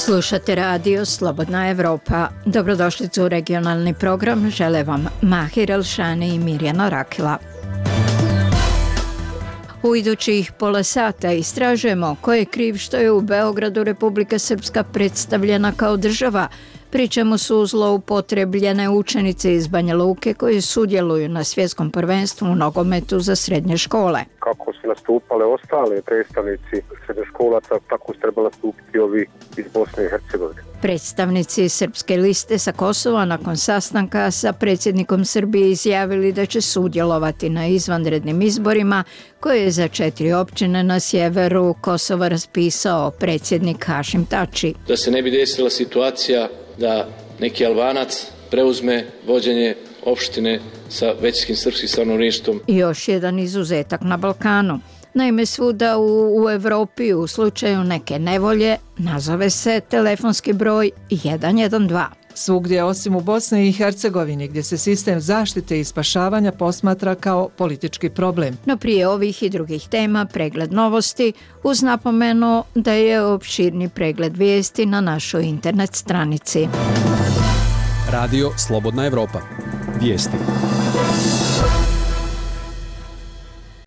Slušate radio Slobodna Evropa. Dobrodošlicu u regionalni program. Žele vam Mahir Elšani i Mirjana Rakila. U idućih pola sata istražujemo ko je kriv što je u Beogradu Republika Srpska predstavljena kao država, pri čemu su zloupotrebljene učenice iz Banja Luke koji sudjeluju na svjetskom prvenstvu u nogometu za srednje škole. Kako su nastupale ostale predstavnici srednjoškolaca, tako su trebali nastupiti ovi iz Bosne i Hercegovine. Predstavnici Srpske liste sa Kosova nakon sastanka sa predsjednikom Srbije izjavili da će sudjelovati na izvanrednim izborima koje je za 4 općine na sjeveru Kosova raspisao predsjednik Hašim Tači. Da se ne bi desila situacija da neki Albanac preuzme vođenje opštine sa većinskim srpskim stanovništvom. Još jedan izuzetak na Balkanu. Naime, svuda u Evropi u slučaju neke nevolje nazove se telefonski broj 112. Svugdje osim u Bosni i Hercegovini, gdje se sistem zaštite i spašavanja posmatra kao politički problem. No prije ovih i drugih tema pregled novosti uz napomenu da je opširni pregled vijesti na našoj internet stranici. Radio Slobodna Evropa. Vijesti.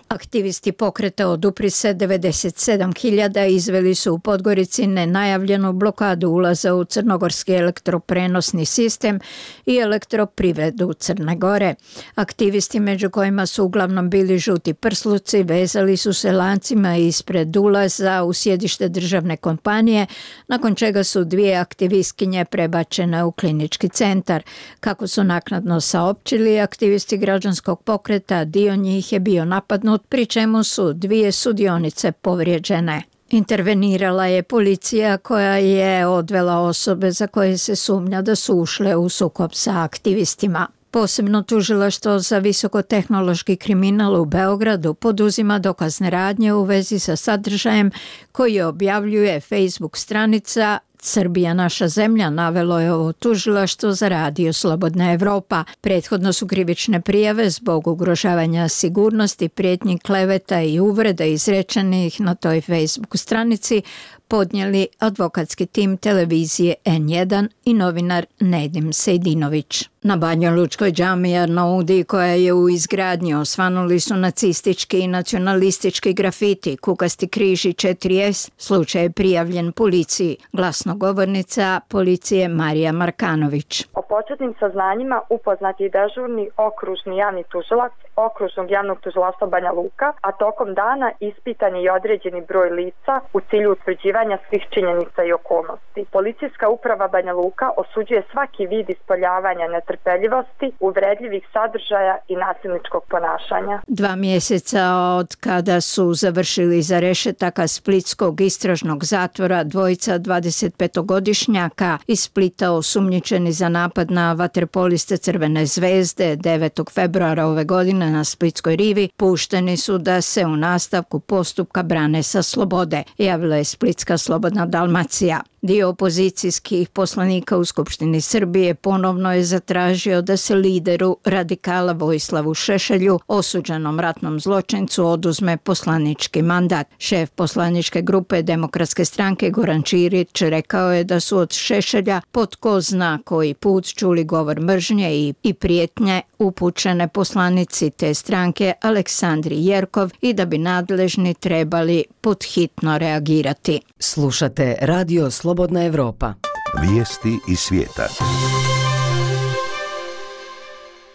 Aktivisti pokreta Odupri se 97.000 izveli su u Podgorici nenajavljenu blokadu ulaza u crnogorski elektroprenosni sistem i elektroprivredu Crne Gore. Aktivisti, među kojima su uglavnom bili žuti prsluci, vezali su se lancima ispred ulaza u sjedište državne kompanije, nakon čega su 2 aktivistkinje prebačene u klinički centar. Kako su naknadno saopćili aktivisti građanskog pokreta, dio njih je bio napadnut, pri čemu su 2 sudionice povrijeđene. Intervenirala je policija koja je odvela osobe za koje se sumnja da su ušle u sukob sa aktivistima. Posebno tužilaštvo za visokotehnološki kriminal u Beogradu poduzima dokazne radnje u vezi sa sadržajem koji objavljuje Facebook stranica Srbija naša zemlja, navelo je ovo tužilaštvo za radio Slobodna Evropa. Prethodno su krivične prijave zbog ugrožavanja sigurnosti, prijetnji, kleveta i uvreda izrečenih na toj Facebook stranici podnijeli advokatski tim televizije N1 i novinar Nedim Sejdinović. Na Banjalučkoj džamiji Arnaudi, koja je u izgradnji, osvanuli su nacistički i nacionalistički grafiti, kukasti križ i 4S. Slučaj je prijavljen policiji. Glasnogovornica policije Marija Markanović. O početnim saznanjima upoznat je dežurni okružni javni tužilac Okružnog javnog tužilaštva Banja Luka, a tokom dana ispitan je i određeni broj lica u cilju utvrđivanja svih činjenica i okolnosti. Policijska uprava Banja Luka osuđuje svaki vid ispoljavanja netrpeljivosti, uvredljivih sadržaja i nasilničkog ponašanja. 2 mjeseca od kada su završili za rešetaka splitskog istražnog zatvora dvojica 25-godišnjaka iz Splita osumnjičeni za napad na vaterpoliste Crvene zvezde 9. februara ove godine na Splitskoj rivi, pušteni su da se u nastavku postupka brane sa slobode, javila je Splitska Slobodna Dalmacija. Dio opozicijskih poslanika u Skupštini Srbije ponovno je zatražio da se lideru radikala Vojislavu Šešelju, osuđenom ratnom zločincu, oduzme poslanički mandat. Šef poslaničke grupe Demokratske stranke Goran Ćirić rekao je da su od Šešelja po tko zna koji put čuli govor mržnje i prijetnje upućene poslanici te stranke Aleksandri Jerkov i da bi nadležni trebali podhitno reagirati. Slušate Radio Slobodna Evropa. Vijesti iz svijeta.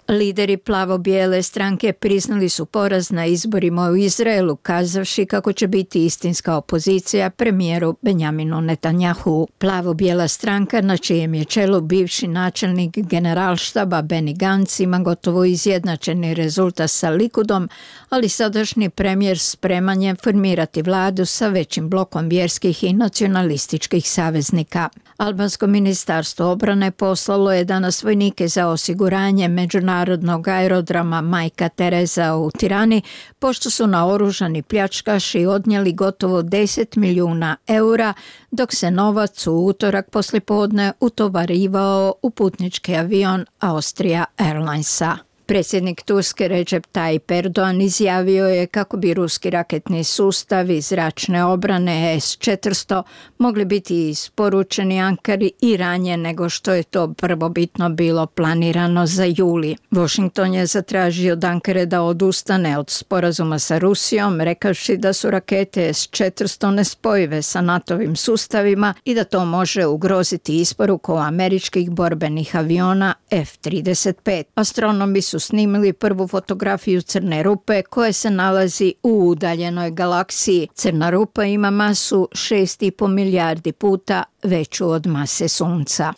Lideri plavo-bijele stranke priznali su poraz na izborima u Izraelu, kazavši kako će biti istinska opozicija premijeru Benjaminu Netanjahu. Plavo-bijela stranka, na čijem je čelu bivši načelnik generalštaba Benny Gantz, ima gotovo izjednačeni rezultat sa Likudom, ali sadašnji premijer spreman je formirati vladu sa većim blokom vjerskih i nacionalističkih saveznika. Albansko ministarstvo obrane poslalo je danas vojnike za osiguranje međunarodnog aerodroma Majka Tereza u Tirani, pošto su naoružani pljačkaši odnijeli gotovo 10 milijuna eura, dok se novac u utorak poslijepodne utovarivao u putnički avion Austria Airlinesa. Predsjednik Turske Recep Tayyip Erdogan izjavio je kako bi ruski raketni sustavi zračne obrane S-400 mogli biti isporučeni Ankari i ranije nego što je to prvobitno bilo planirano za juli. Washington je zatražio od Ankare da odustane od sporazuma sa Rusijom, rekavši da su rakete S-400 nespojive sa NATO-vim sustavima i da to može ugroziti isporuku američkih borbenih aviona F-35. Astronomi su snimili prvu fotografiju crne rupe koja se nalazi u udaljenoj galaksiji. Crna rupa ima masu 6,5 milijardi puta veću od mase Sunca.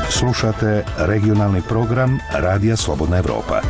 Slušate regionalni program Radija Slobodna Evropa.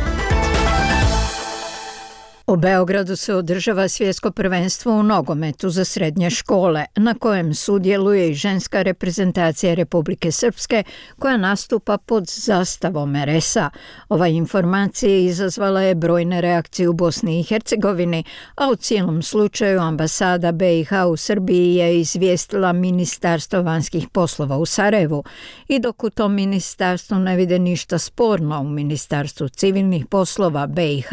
U Beogradu se održava svjetsko prvenstvo u nogometu za srednje škole, na kojem sudjeluje i ženska reprezentacija Republike Srpske koja nastupa pod zastavom RS-a. Ova informacija izazvala je brojne reakcije u Bosni i Hercegovini, a u cijelom slučaju ambasada BiH u Srbiji je izvijestila Ministarstvo vanjskih poslova u Sarajevu. I dok u tom ministarstvu ne vide ništa sporno, u Ministarstvu civilnih poslova BiH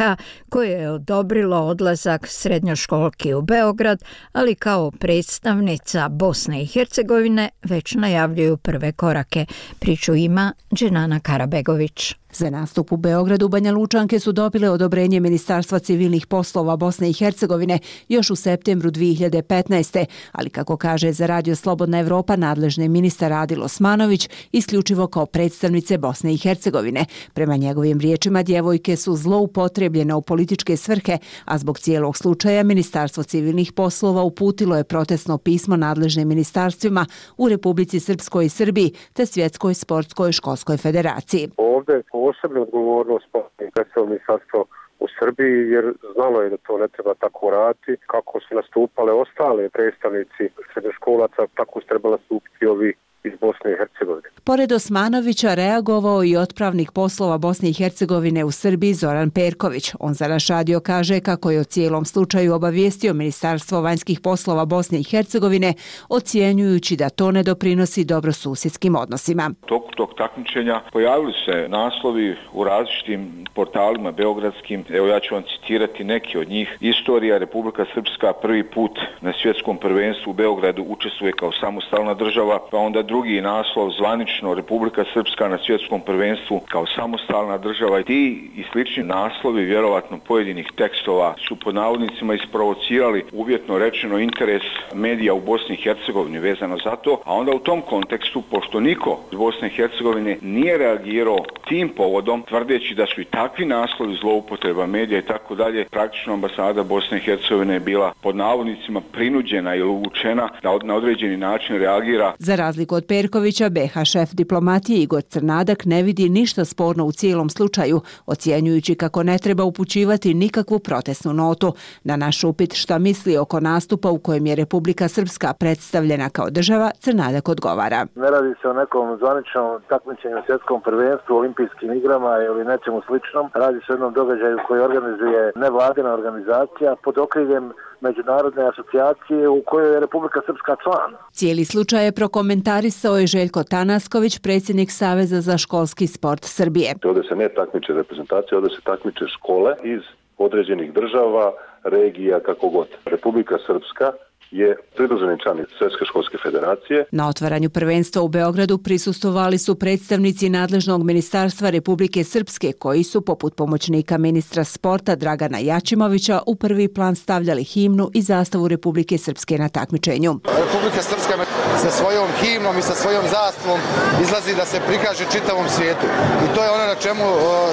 koje je odobrilo odlazak srednjoškolki u Beograd, ali kao predstavnica Bosne i Hercegovine već najavljuju prve korake. Priču ima Dženana Karabegović. Za nastup u Beogradu Banja Lučanke su dobile odobrenje Ministarstva civilnih poslova Bosne i Hercegovine još u septembru 2015. Ali kako kaže za Radio Slobodna Evropa nadležni ministar Adil Osmanović, isključivo kao predstavnice Bosne i Hercegovine. Prema njegovim riječima djevojke su zloupotrebljene u političke svrhe, a zbog cijelog slučaja Ministarstvo civilnih poslova uputilo je protestno pismo nadležnim ministarstvima u Republici Srpskoj i Srbiji te Svjetskoj sportskoj školskoj federaciji. Ovdje posebnu odgovornost predstavilo ministarstvo u Srbiji, jer znalo je da to ne treba tako raditi. Kako su nastupale ostale predstavnici srednjoškolaca, tako su trebali nastupiti ovi iz Bosne i Hercegovine. Pored Osmanovića reagovao i otpravnik poslova Bosne i Hercegovine u Srbiji Zoran Perković. On za naš radio kaže kako je o cijelom slučaju obavijestio Ministarstvo vanjskih poslova Bosne i Hercegovine, ocjenjujući da to ne doprinosi dobrosusjedskim odnosima. U toku tog takmičenja pojavili se naslovi u različitim portalima beogradskim. Evo ja ću vam citirati neki od njih. Istorija Republika Srpska prvi put na svjetskom prvenstvu u Beogradu učestvuje kao samostalna država, pa onda drugi naslov zvanično Republika Srpska na svjetskom prvenstvu kao samostalna država. Ti i slični naslovi vjerovatno pojedinih tekstova su pod navodnicima isprovocirali uvjetno rečeno interes medija u Bosni i Hercegovini vezano za to, a onda u tom kontekstu, pošto niko iz Bosne i Hercegovine nije reagirao tim povodom, tvrdeći da su i takvi naslovi zloupotreba medija i tako dalje, praktično ambasada Bosne i Hercegovine je bila pod navodnicima prinuđena ili uvučena da na određeni način reagira. Za razliku od Perkovića, BiH šef diplomatije Igor Crnadak ne vidi ništa sporno u cijelom slučaju, ocjenjujući kako ne treba upućivati nikakvu protestnu notu. Na naš upit šta misli oko nastupa u kojem je Republika Srpska predstavljena kao država, Crnadak odgovara. Ne radi se o nekom zvaničnom takmičenju u svjetskom prvenstvu, olimpijskim igrama ili nečemu sličnom. Radi se o jednom događaju koji organizuje nevladina organizacija pod okriljem međunarodne asocijacije u kojoj je Republika Srpska član. Cijeli slučaj je prokomentarisao je Željko Tanasković, predsjednik Saveza za školski sport Srbije. Ovdje se ne takmiče reprezentacija, ovdje se takmiče škole iz određenih država, regija, kako god. Republika Srpska je pridruženi član Svjetske školske federacije. Na otvaranju prvenstva u Beogradu prisustvovali su predstavnici nadležnog ministarstva Republike Srpske koji su, poput pomoćnika ministra sporta Dragana Jačimovića, u prvi plan stavljali himnu i zastavu Republike Srpske na takmičenju. Republika Srpska sa svojom himnom i sa svojom zastavom izlazi da se prikaže čitavom svijetu. I to je ono na čemu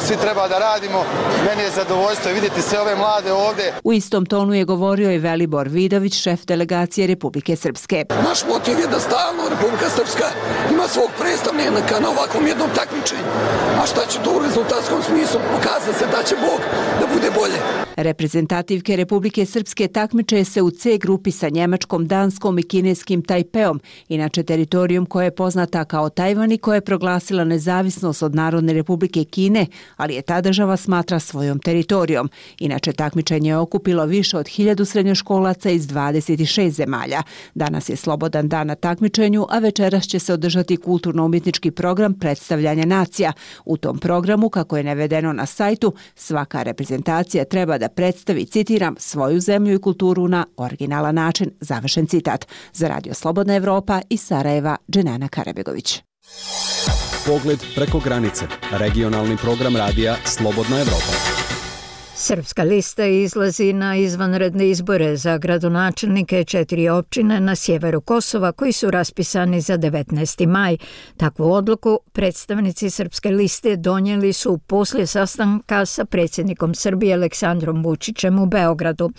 svi treba da radimo. Meni je zadovoljstvo vidjeti sve ove mlade ovdje. U istom tonu je govorio i Velibor Vidović, šef delegacije Republike Srpske. Naš motiv je da stalno Republika Srpska ima svog predstavnika na ovakvom jednom takmičenju. A šta će to u rezultatskom smislu pokazati se da će Bog da bude bolje. Reprezentativke Republike Srpske takmiče se u C grupi sa Njemačkom, Danskom i kineskim Tajpeom, inače teritorijom koja je poznata kao Tajvan i koja je proglasila nezavisnost od Narodne Republike Kine, ali je ta država smatra svojom teritorijom. Inače, takmičenje je okupilo više od 1000 srednjoškolaca iz 26 zemalja. Danas je slobodan dan na takmičenju, a večeras će se održati kulturno-umjetnički program predstavljanja nacija. U tom programu, kako je navedeno na sajtu, svaka reprezentacija treba da predstavi, citiram, svoju zemlju i kulturu na originalan način. Završen citat. Za Radio Slobodna Evropa iz Sarajeva, Dženana Karabegović. Pogled preko granice. Regionalni program radija Slobodna Evropa. Srpska lista izlazi na izvanredne izbore za gradonačelnike 4 općine na sjeveru Kosova koji su raspisani za 19. maj. Takvu odluku predstavnici Srpske liste donijeli su poslije sastanka sa predsjednikom Srbije Aleksandrom Vučićem u Beogradu.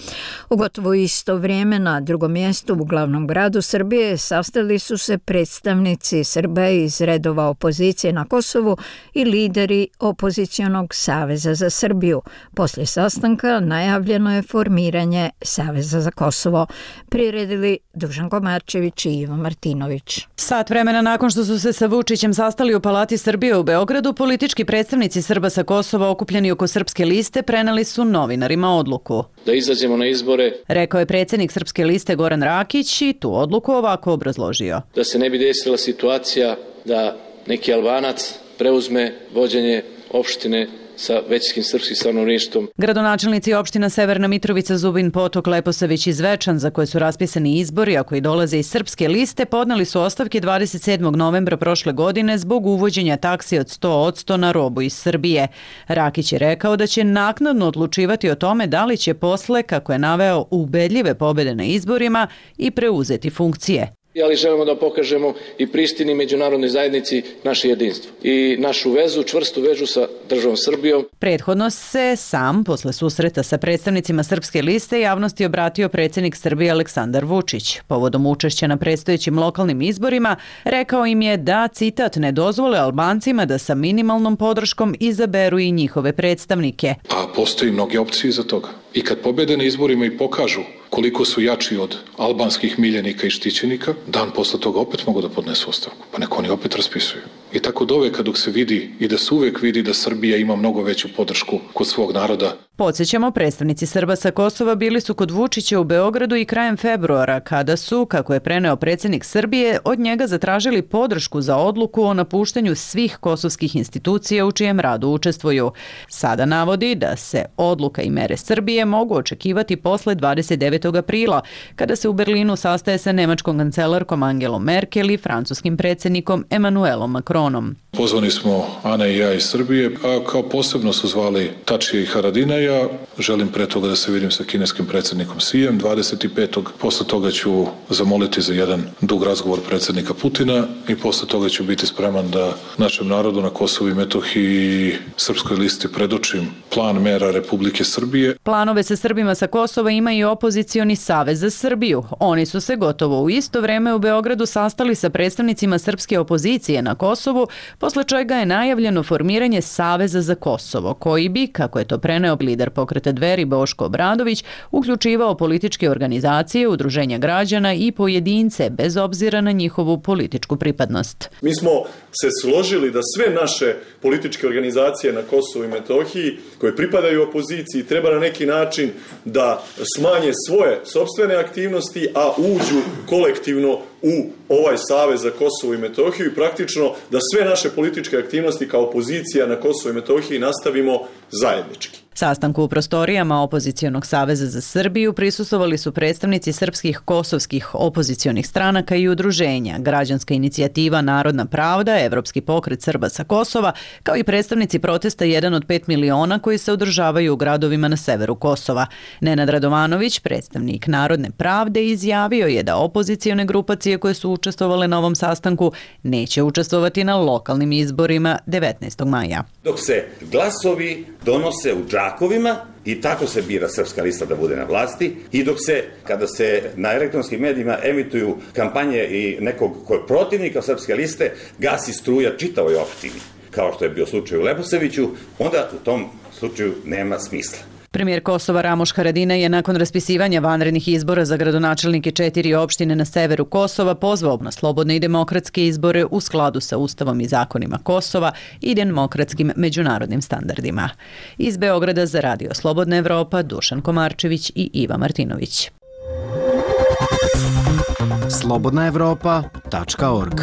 U gotovo isto vrijeme na drugom mjestu u glavnom gradu Srbije sastali su se predstavnici Srba iz redova opozicije na Kosovu i lideri opozicionog Saveza za Srbiju. Poslije sastanka najavljeno je formiranje Saveza za Kosovo. Priredili Dušan Komarčević i Ivo Martinović. Sat vremena nakon što su se sa Vučićem sastali u Palati Srbije u Beogradu, politički predstavnici Srba sa Kosova okupljeni oko Srpske liste preneli su novinarima odluku. Da izađemo na izbore, rekao je predsjednik Srpske liste Goran Rakić i tu odluku ovako obrazložio. Da se ne bi desila situacija da neki Albanac preuzme vođenje opštine sa većinskim srpskim stanovništvom. Gradonačelnici opština Severna Mitrovica, Zubin Potok, Leposavić i Zvečan, za koje su raspisani izbori, a koji dolaze iz Srpske liste, podneli su ostavke 27. novembra prošle godine zbog uvođenja taksi od 100% na robu iz Srbije. Rakić je rekao da će naknadno odlučivati o tome da li će posle, kako je naveo, ubedljive pobjede na izborima i preuzeti funkcije. Ali želimo da pokažemo i Prištini međunarodnoj zajednici naše jedinstvo i našu vezu, čvrstu vezu sa državom Srbijom. Prethodno se sam, posle susreta sa predstavnicima Srpske liste, javnosti obratio predsjednik Srbije Aleksandar Vučić. Povodom učešća na predstojećim lokalnim izborima, rekao im je da, citat, ne dozvole Albancima da sa minimalnom podrškom izaberu i njihove predstavnike. A postoji mnoge opcije za toga. I kad pobede na izborima i pokažu koliko su jači od albanskih miljenika i štićenika, dan posle toga opet mogu da podnesu ostavku. Pa neko oni opet raspisuju. I tako doveka dok se vidi i da se uvek vidi da Srbija ima mnogo veću podršku kod svog naroda. Podsjećamo, predstavnici Srba sa Kosova bili su kod Vučića u Beogradu i krajem februara, kada su, kako je preneo predsjednik Srbije, od njega zatražili podršku za odluku o napuštanju svih kosovskih institucija u čijem radu učestvuju. Sada navodi da se odluka i mere Srbije mogu očekivati posle 29. aprila, kada se u Berlinu sastaje sa nemačkom kancelarkom Angelom Merkel i francuskim predsjednikom Emmanuelom Macronom. Pozvani smo Ana i ja iz Srbije, a kao posebno su zvali Tačija i Haradina. Ja želim pre toga da se vidim sa kineskim predsjednikom Sijem 25. Posle toga ću zamoliti za jedan dug razgovor predsjednika Putina i posle toga ću biti spreman da našem narodu na Kosovu i Metohiji i Srpskoj listi predočim plan mera Republike Srbije. Planove sa Srbima sa Kosova ima i opozicioni Savez za Srbiju. Oni su se gotovo u isto vreme u Beogradu sastali sa predstavnicima srpske opozicije na Kosovu, posle čega je najavljeno formiranje Saveza za Kosovo, koji bi, kako je to preneo lider pokreta Dveri Boško Obradović, uključivao političke organizacije, udruženja građana i pojedince, bez obzira na njihovu političku pripadnost. Mi smo se složili da sve naše političke organizacije na Kosovu i Metohiji, koje pripadaju opoziciji, treba na neki način da smanje svoje sopstvene aktivnosti, a uđu kolektivno u ovaj Savez za Kosovo i Metohiju i praktično da sve naše političke aktivnosti kao opozicija na Kosovu i Metohiji nastavimo zajednički. Sastanku u prostorijama Opozicijonog saveza za Srbiju prisustvovali su predstavnici srpskih kosovskih opozicionih stranaka i udruženja, Građanska inicijativa Narodna pravda, Evropski pokret Srba sa Kosova, kao i predstavnici protesta 1 od 5 miliona koji se održavaju u gradovima na severu Kosova. Nenad Radovanović, predstavnik Narodne pravde, izjavio je da opozicione grupacije koje su učestvovale na ovom sastanku neće učestvovati na lokalnim izborima 19. maja. Dok se glasovi donose u džakovima i tako se bira Srpska lista da bude na vlasti i dok se, kada se na elektronskim medijima emituju kampanje i nekog protivnika Srpske liste, gasi struja čitavoj opštini, kao što je bio slučaj u Leposaviću, onda u tom slučaju nema smisla. Premijer Kosova Ramuš Haradinaj je nakon raspisivanja vanrednih izbora za gradonačelnike 4 opštine na severu Kosova pozvao na slobodne i demokratske izbore u skladu sa Ustavom i zakonima Kosova i demokratskim međunarodnim standardima. Iz Beograda za Radio Slobodna Evropa Dušan Komarčević i Iva Martinović. slobodnaevropa.org.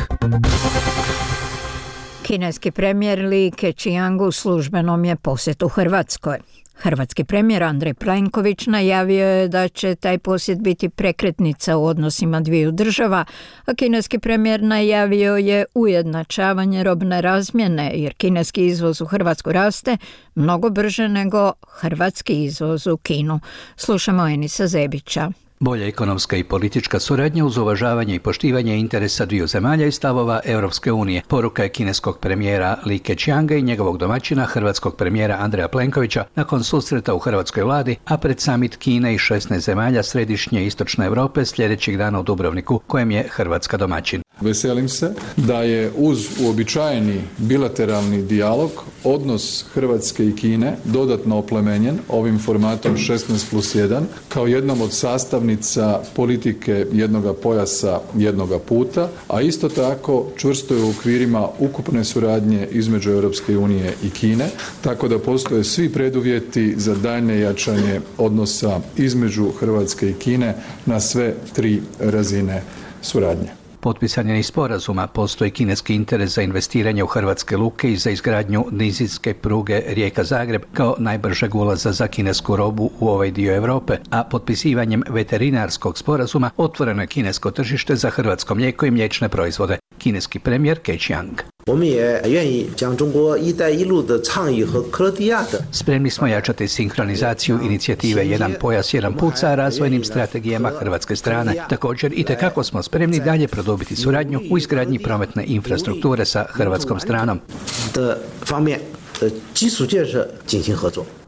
Kineski premijer Li Keqiang u službenom je posjetu Hrvatskoj. Hrvatski premijer Andrej Plenković najavio je da će taj posjet biti prekretnica u odnosima dviju država, a kineski premijer najavio je ujednačavanje robne razmjene, jer kineski izvoz u Hrvatsku raste mnogo brže nego hrvatski izvoz u Kinu. Slušamo Enisa Zebića. Bolja ekonomska i politička suradnja uz uvažavanje i poštivanje interesa dviju zemalja i stavova Europske unije. Poruka je kineskog premijera Li Keqianga i njegovog domaćina, hrvatskog premijera Andreja Plenkovića, nakon susreta u hrvatskoj vladi, a pred samit Kine i 16 zemalja središnje i istočne Europe sljedećeg dana u Dubrovniku, kojem je Hrvatska domaćin. Veselim se da je uz uobičajeni bilateralni dijalog odnos Hrvatske i Kine dodatno oplemenjen ovim formatom 16+1 kao jednom od sastavnica politike jednoga pojasa, jednoga puta, a isto tako čvrsto je u okvirima ukupne suradnje između Europske unije i Kine, tako da postoje svi preduvjeti za daljnje jačanje odnosa između Hrvatske i Kine na sve 3 razine suradnje. Potpisan je i sporazuma, postoji kineski interes za investiranje u hrvatske luke i za izgradnju nizinske pruge Rijeka-Zagreb kao najbržeg ulaza za kinesku robu u ovaj dio Europe, a potpisivanjem veterinarskog sporazuma otvoreno je kinesko tržište za hrvatsko mlijeko i mliječne proizvode. Kineski premijer Keqiang. Spremni smo jačati sinhronizaciju inicijative Jedan pojas, jedan put sa razvojnim strategijama hrvatske strane. Također itekako smo spremni dalje produbiti suradnju u izgradnji prometne infrastrukture sa hrvatskom stranom.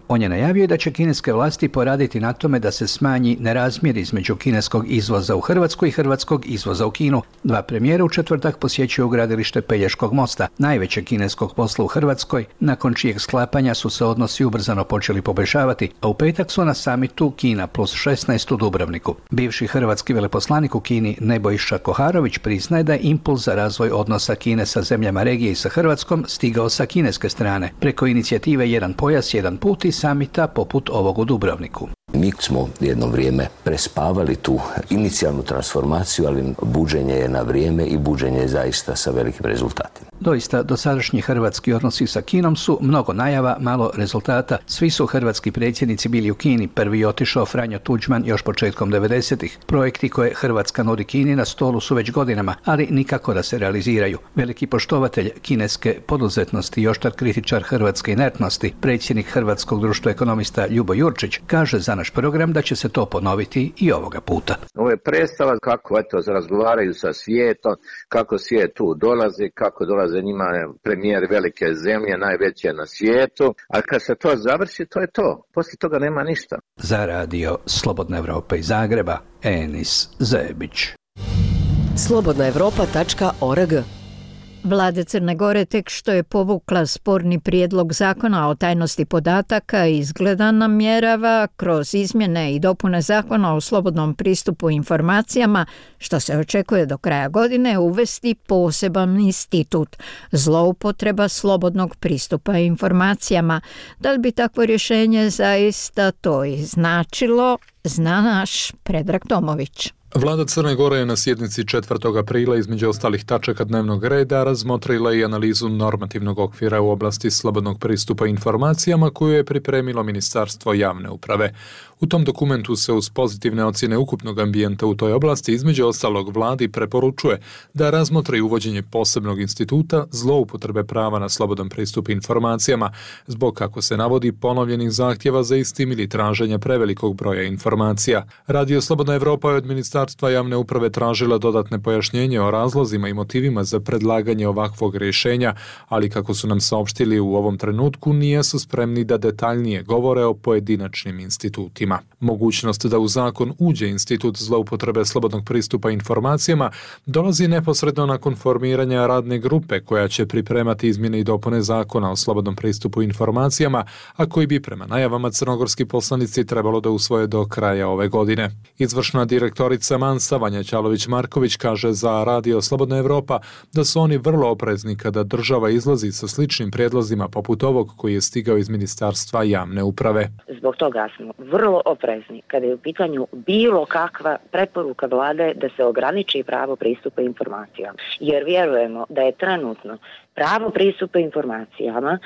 On je najavio da će kineske vlasti poraditi na tome da se smanji nerazmjer između kineskog izvoza u Hrvatsku i hrvatskog izvoza u Kinu. 2 premijera u četvrtak posjećuju gradilište Pelješkog mosta, najvećeg kineskog posla u Hrvatskoj, nakon čijeg sklapanja su se odnosi ubrzano počeli poboljšavati, a u petak su na samitu Kina plus 16 u Dubrovniku. Bivši hrvatski veleposlanik u Kini Nebojša Koharović priznaje da je impuls za razvoj odnosa Kine sa zemljama regije i sa Hrvatskom stigao sa kineske strane, preko inicijative Jedan pojas, jedan put i samita poput ovog u Dubrovniku. Mi smo jedno vrijeme prespavali tu inicijalnu transformaciju, ali buđenje je na vrijeme i buđenje je zaista sa velikim rezultatima. Doista, dosadašnji hrvatski odnosi sa Kinom su mnogo najava, malo rezultata. Svi su hrvatski predsjednici bili u Kini. Prvi je otišao Franjo Tuđman još početkom 90-ih. Projekti koje Hrvatska nudi Kini na stolu su već godinama, ali nikako da se realiziraju. Veliki poštovatelj kineske poduzetnosti i oštar kritičar hrvatske inertnosti, predsjednik Hrvatskog društva ekonomista Ljubo Jurčić, kaže za naš program da će se to ponoviti i ovoga puta. Ovo je predstava kako razgovaraju sa svijetom, kako svijet tu dolazi, kako dolaze njima premijeri velike zemlje, najveće na svijetu, a kad se to završi, to je to. Poslije toga nema ništa. Za Radio Slobodna Evropa iz Zagreba, Enis Zebić. slobodnaevropa.org. Vlada Crne Gore tek što je povukla sporni prijedlog zakona o tajnosti podataka izgleda namjerava kroz izmjene i dopune zakona o slobodnom pristupu informacijama, što se očekuje do kraja godine, uvesti poseban institut zloupotreba slobodnog pristupa informacijama. Da li bi takvo rješenje zaista to i značilo, zna naš Predrag Tomović. Vlada Crne Gore je na sjednici 4. aprila između ostalih tačaka dnevnog reda razmotrila i analizu normativnog okvira u oblasti slobodnog pristupa informacijama koju je pripremilo Ministarstvo javne uprave. U tom dokumentu se uz pozitivne ocjene ukupnog ambijenta u toj oblasti između ostalog vladi preporučuje da razmotri uvođenje posebnog instituta zloupotrebe prava na slobodan pristup informacijama zbog, kako se navodi, ponovljenih zahtjeva za istim ili traženja prevelikog broja informacija. Radio Slobodna Evropa je od Ministarstva Ministarstva javne uprave tražila dodatne pojašnjenje o razlozima i motivima za predlaganje ovakvog rješenja, ali kako su nam saopštili u ovom trenutku nisu spremni da detaljnije govore o pojedinačnim institutima. Mogućnost da u zakon uđe institut zloupotrebe slobodnog pristupa informacijama dolazi neposredno nakon formiranja radne grupe koja će pripremati izmjene i dopune zakona o slobodnom pristupu informacijama, a koji bi prema najavama crnogorski poslanici trebalo da usvoje do kraja ove godine. Izvršna direktorica Mansa Vanja Ćalović-Marković kaže za Radio Slobodna Evropa da su oni vrlo oprezni kada država izlazi sa sličnim prijedlozima poput ovog koji je stigao iz Ministarstva javne uprave. Zbog toga smo vrlo oprezni kada je u pitanju bilo kakva preporuka vlade da se ograniči pravo pristupa informacijama. Jer vjerujemo da je trenutno pravo pristupa informacijama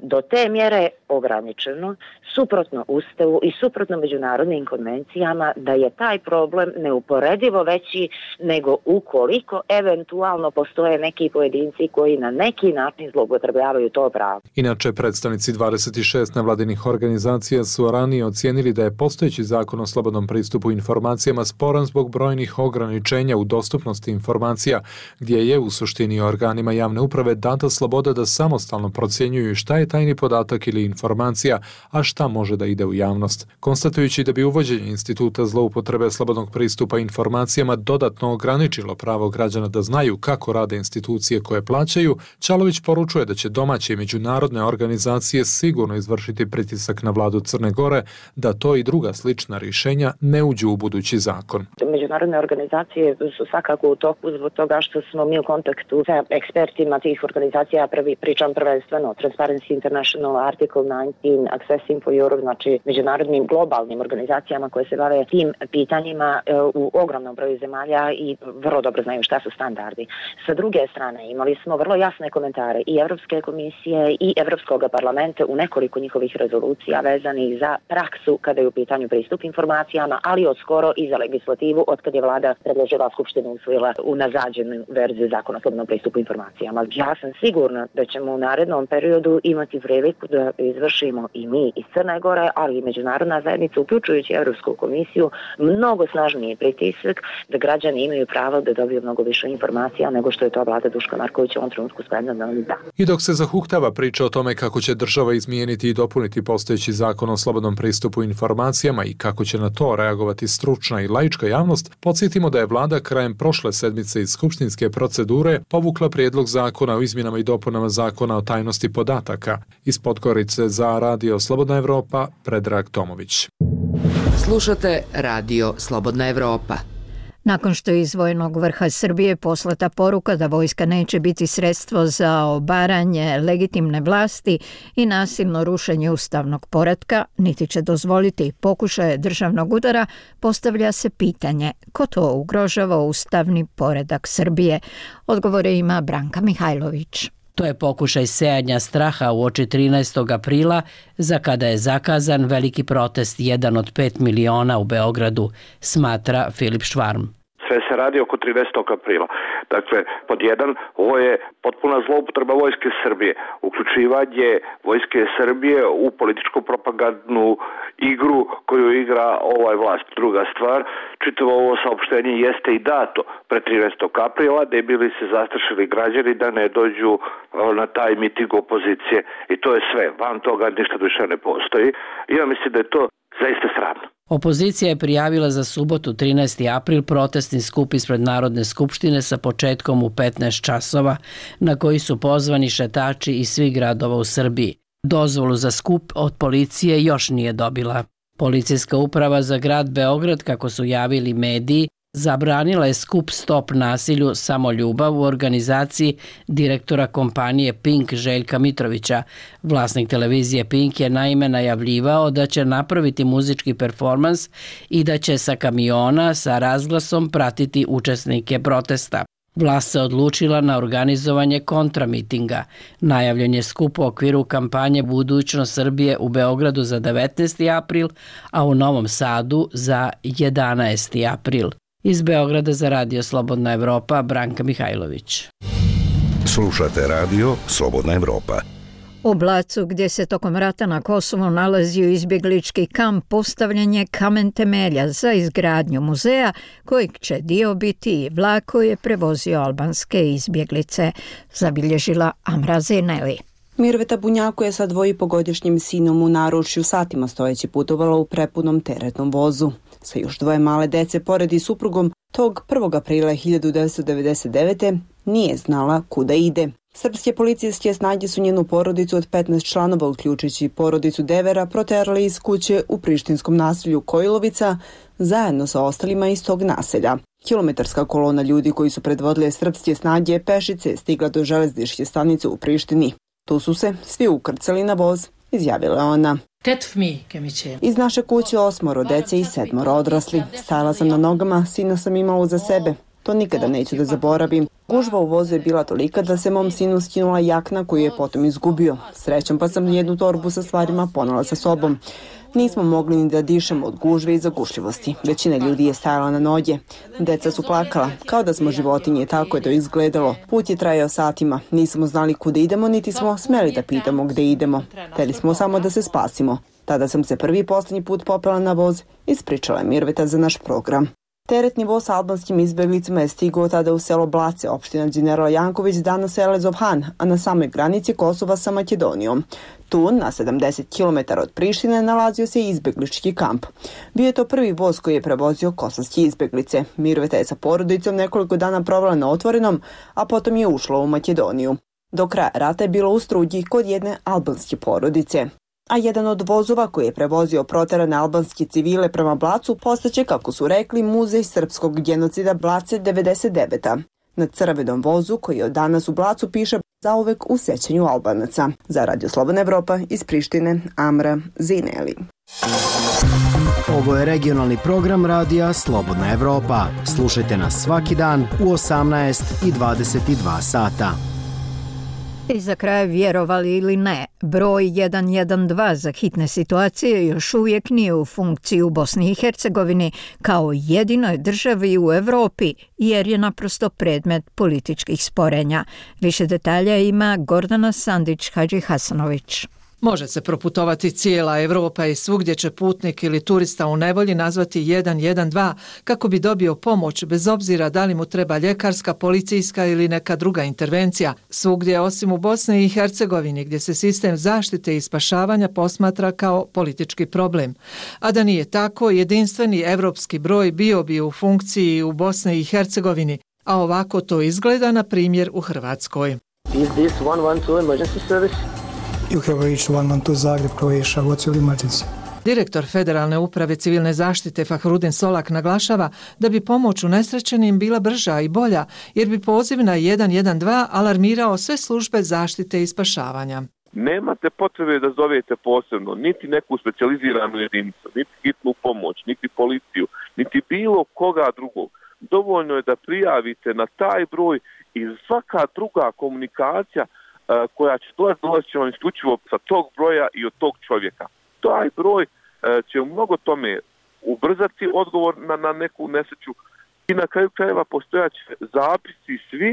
do te mjere ograničeno, suprotno Ustavu i suprotno međunarodnim konvencijama, da je taj problem neuporedivo veći nego ukoliko eventualno postoje neki pojedinci koji na neki način zloupotrebljavaju to pravo. Inače, predstavnici 26 nevladinih organizacija su ranije ocijenili da je postojeći zakon o slobodnom pristupu informacijama sporan zbog brojnih ograničenja u dostupnosti informacija, gdje je u suštini organima javne uprave data sloboda da samostalno procjenjuju šta je tajni podatak ili informacija, a šta može da ide u javnost. Konstatujući da bi uvođenje instituta zloupotrebe slobodnog pristupa informacijama dodatno ograničilo pravo građana da znaju kako rade institucije koje plaćaju, Ćalović poručuje da će domaće i međunarodne organizacije sigurno izvršiti pritisak na vladu Crne Gore da to i druga slična rješenja ne uđu u budući zakon. Međunarodne organizacije su svakako u toku zbog toga što smo mi u kontaktu sa ekspertima tih organizacija, pričam prvenstveno Transparency International, Article 19, Accessing for Europe, znači međunarodnim globalnim organizacijama koje se bave tim pitanjima u ogromnom broju zemalja i vrlo dobro znaju šta su standardi. Sa druge strane imali smo vrlo jasne komentare i Europske komisije i Europskog parlamenta u nekoliko njihovih rezolucija vezanih za praksu kada je u pitanju pristup informacijama, ali od skoro i za legislativu od kad je vlada predložila, Skupština usvojila unazađenu verziju zakona o slobodnom pristupu informacijama. Ja sam sigurna da ćemo u narednom periodu imati priliku da izvršimo i mi iz Crne Gore, ali i međunarodna zajednica, uključujući Europsku komisiju, mnogo snažniji pritisak da građani imaju pravo da dobiju mnogo više informacija nego što je to vlada Duška Markovića u ovom trenutku spremna da da. I dok se zahuktava priča o tome kako će država izmijeniti i dopuniti postojeći zakon o slobodnom pristupu informacijama i kako će na to reagovati stručna i laička javnost, podsjetimo da je vlada krajem prošle sedmice iz skupštinske procedure povukla prijedlog zakona o izmjenama i dopunama zakona o tajnosti podataka. Iz Podgorice za Radio Slobodna Evropa, Predrag Tomović. Slušate Radio Slobodna Evropa. Nakon što je iz vojnog vrha Srbije poslata poruka da vojska neće biti sredstvo za obaranje legitimne vlasti i nasilno rušenje ustavnog poretka, niti će dozvoliti pokušaje državnog udara, postavlja se pitanje ko to ugrožava ustavni poredak Srbije. Odgovore ima Branka Mihajlović. To je pokušaj sejanja straha uoči 13. aprila, za kada je zakazan veliki protest 1 od 5 miliona u Beogradu, smatra Filip Švarm. Sve se radi oko 13. aprila. Dakle, pod jedan, ovo je potpuna zloupotreba Vojske Srbije. Uključivanje Vojske Srbije u političku propagandnu igru koju igra ovaj vlast. Druga stvar, čitavo ovo saopštenje jeste i dato pre 13. aprila, da bi li se zastrašili građani da ne dođu na taj miting opozicije. I to je sve. Van toga ništa više ne postoji. I ja mislim da je to zaista sramno. Opozicija je prijavila za subotu 13. april protestni skup ispred Narodne skupštine sa početkom u 15 časova, na koji su pozvani šetači iz svih gradova u Srbiji. Dozvolu za skup od policije još nije dobila. Policijska uprava za grad Beograd, kako su javili mediji, zabranila je skup Stop nasilju, samo ljubav u organizaciji direktora kompanije Pink Željka Mitrovića. Vlasnik televizije Pink je naime najavljivao da će napraviti muzički performans i da će sa kamiona sa razglasom pratiti učesnike protesta. Vlast se odlučila na organizovanje kontramitinga. Najavljen je skup u okviru kampanje Budućnost Srbije u Beogradu za 19. april, a u Novom Sadu za 11. april. Iz Beograda za Radio Slobodna Evropa, Branka Mihajlović. Slušate Radio Slobodna Evropa. U Blacu, gdje se tokom rata na Kosovu nalazio izbjeglički kamp, postavljen je kamen temelja za izgradnju muzeja, kojeg će dio biti i vlak koji je prevozio albanske izbjeglice, zabilježila Amra Zeneli. Mirveta Bunjaku je sa 2,5-godišnjim sinom u naručju satima stojeći putovala u prepunom teretnom vozu. Sa još 2 male dece pored i suprugom, tog 1. aprila 1999. nije znala kuda ide. Srpske policijske snage su njenu porodicu od 15 članova, uključujući porodicu Devera, proterali iz kuće u prištinskom naselju Kojilovica, zajedno sa ostalima iz tog naselja. Kilometarska kolona ljudi koji su predvodile srpske snage pešice stigla do železničke stanice u Prištini. Tu su se svi ukrcali na voz, izjavila ona. Iz naše kuće 8 dece i 7 odrasli. Stajala sam na nogama, sina sam imala za sebe. To nikada neću da zaboravim. Gužva u vozu je bila tolika da se mom sinu skinula jakna koju je potom izgubio. Srećom pa sam jednu torbu sa stvarima ponela sa sobom. Nismo mogli ni da dišemo od gužve i zagušljivosti. Većina ljudi je stajala na noge. Deca su plakala, kao da smo životinje, tako je to izgledalo. Put je trajao satima. Nismo znali kuda idemo, niti smo smeli da pitamo gde idemo. Hteli smo samo da se spasimo. Tada sam se prvi i posljednji put popela na voz, ispričala je Mirveta za naš program. Teretni voz sa albanskim izbjeglicama je stigao tada u selo Blace, opština General Janković, danas Elezov Han, a na samoj granici Kosova sa Makedonijom. Tu, na 70 km od Prištine, nalazio se izbjeglički kamp. Bio je to prvi voz koji je prevozio kosovske izbjeglice. Mirveta je sa porodicom nekoliko dana provela na otvorenom, a potom je ušla u Makedoniju. Do kraja rata je bilo u Strugji kod jedne albanske porodice. A jedan od vozova koji je prevozio proterane albanske civile prema Blacu postaće, kako su rekli, muzej srpskog genocida Blace 99. Na crvenom vozu, koji je od danas u Blacu, piše zauvek u sećanju Albanaca. Za Radio Slobodna Evropa iz Prištine, Amra Zineli. Ovo je regionalni program radija Slobodna Evropa. Slušajte nas svaki dan u 18 i 22 sata. I za kraj, vjerovali ili ne, broj 112 za hitne situacije još uvijek nije u funkciji u Bosni i Hercegovini kao jedinoj državi u Europi, jer je naprosto predmet političkih sporenja. Više detalja ima Gordana Sandić-Hadži-Hasanović. Može se proputovati cijela Europa i svugdje će putnik ili turista u nevolji nazvati 112 kako bi dobio pomoć, bez obzira da li mu treba ljekarska, policijska ili neka druga intervencija. Svugdje osim u Bosni i Hercegovini, gdje se sistem zaštite i spašavanja posmatra kao politički problem. A da nije tako, jedinstveni evropski broj bio bi u funkciji u Bosni i Hercegovini, a ovako to izgleda na primjer u Hrvatskoj. Is this 112 emergency service? You have reached 112 Zagreb, Croatia. What's your emergency? Direktor Federalne uprave civilne zaštite Fahrudin Solak naglašava da bi pomoć unesrećenim bila brža i bolja, jer bi poziv na 112 alarmirao sve službe zaštite i spašavanja. Nemate potrebe da zovete posebno niti neku specijaliziranu jedinicu, niti hitnu pomoć, niti policiju, niti bilo koga drugog. Dovoljno je da prijavite na taj broj i svaka druga komunikacija koja će dolaziti će vam isključivo sa tog broja i od tog čovjeka. Taj broj će u mnogo tome ubrzati odgovor na neku nesreću i na kraju krajeva postojaće zapisi svi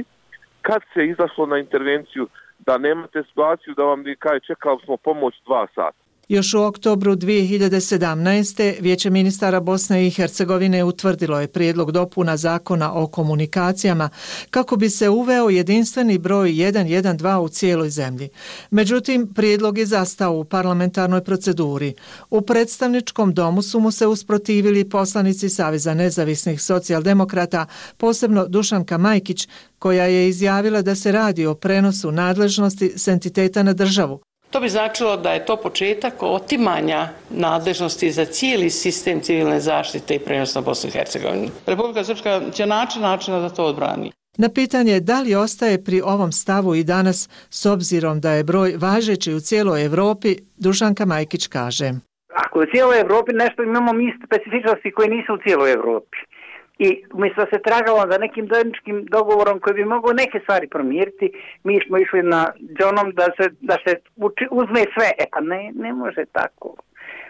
kad se izašlo na intervenciju, da nemate situaciju da vam kaže čekali smo pomoć 2 sata. Još u oktobru 2017. Vijeće ministara Bosne i Hercegovine utvrdilo je prijedlog dopuna zakona o komunikacijama kako bi se uveo jedinstveni broj 112 u cijeloj zemlji. Međutim, prijedlog je zastao u parlamentarnoj proceduri. U predstavničkom domu su mu se usprotivili poslanici Saveza nezavisnih socijaldemokrata, posebno Dušanka Majkić, koja je izjavila da se radi o prenosu nadležnosti s entiteta na državu. To bi značilo da je to početak otimanja nadležnosti za cijeli sistem civilne zaštite i prenos na Bosnu i Hercegovinu. Republika Srpska će načina da to odbrani. Na pitanje da li ostaje pri ovom stavu i danas, s obzirom da je broj važeći u cijeloj Europi, Dušanka Majkić kaže. Ako u cijeloj Europi nešto imamo mi specifičnosti koje nisu u cijeloj Europi. I umjesto da se tragalo za nekim zajedničkim dogovorom koji bi mogao neke stvari promijeniti, mi smo išli na džonom da se uzme sve. Pa ne može tako.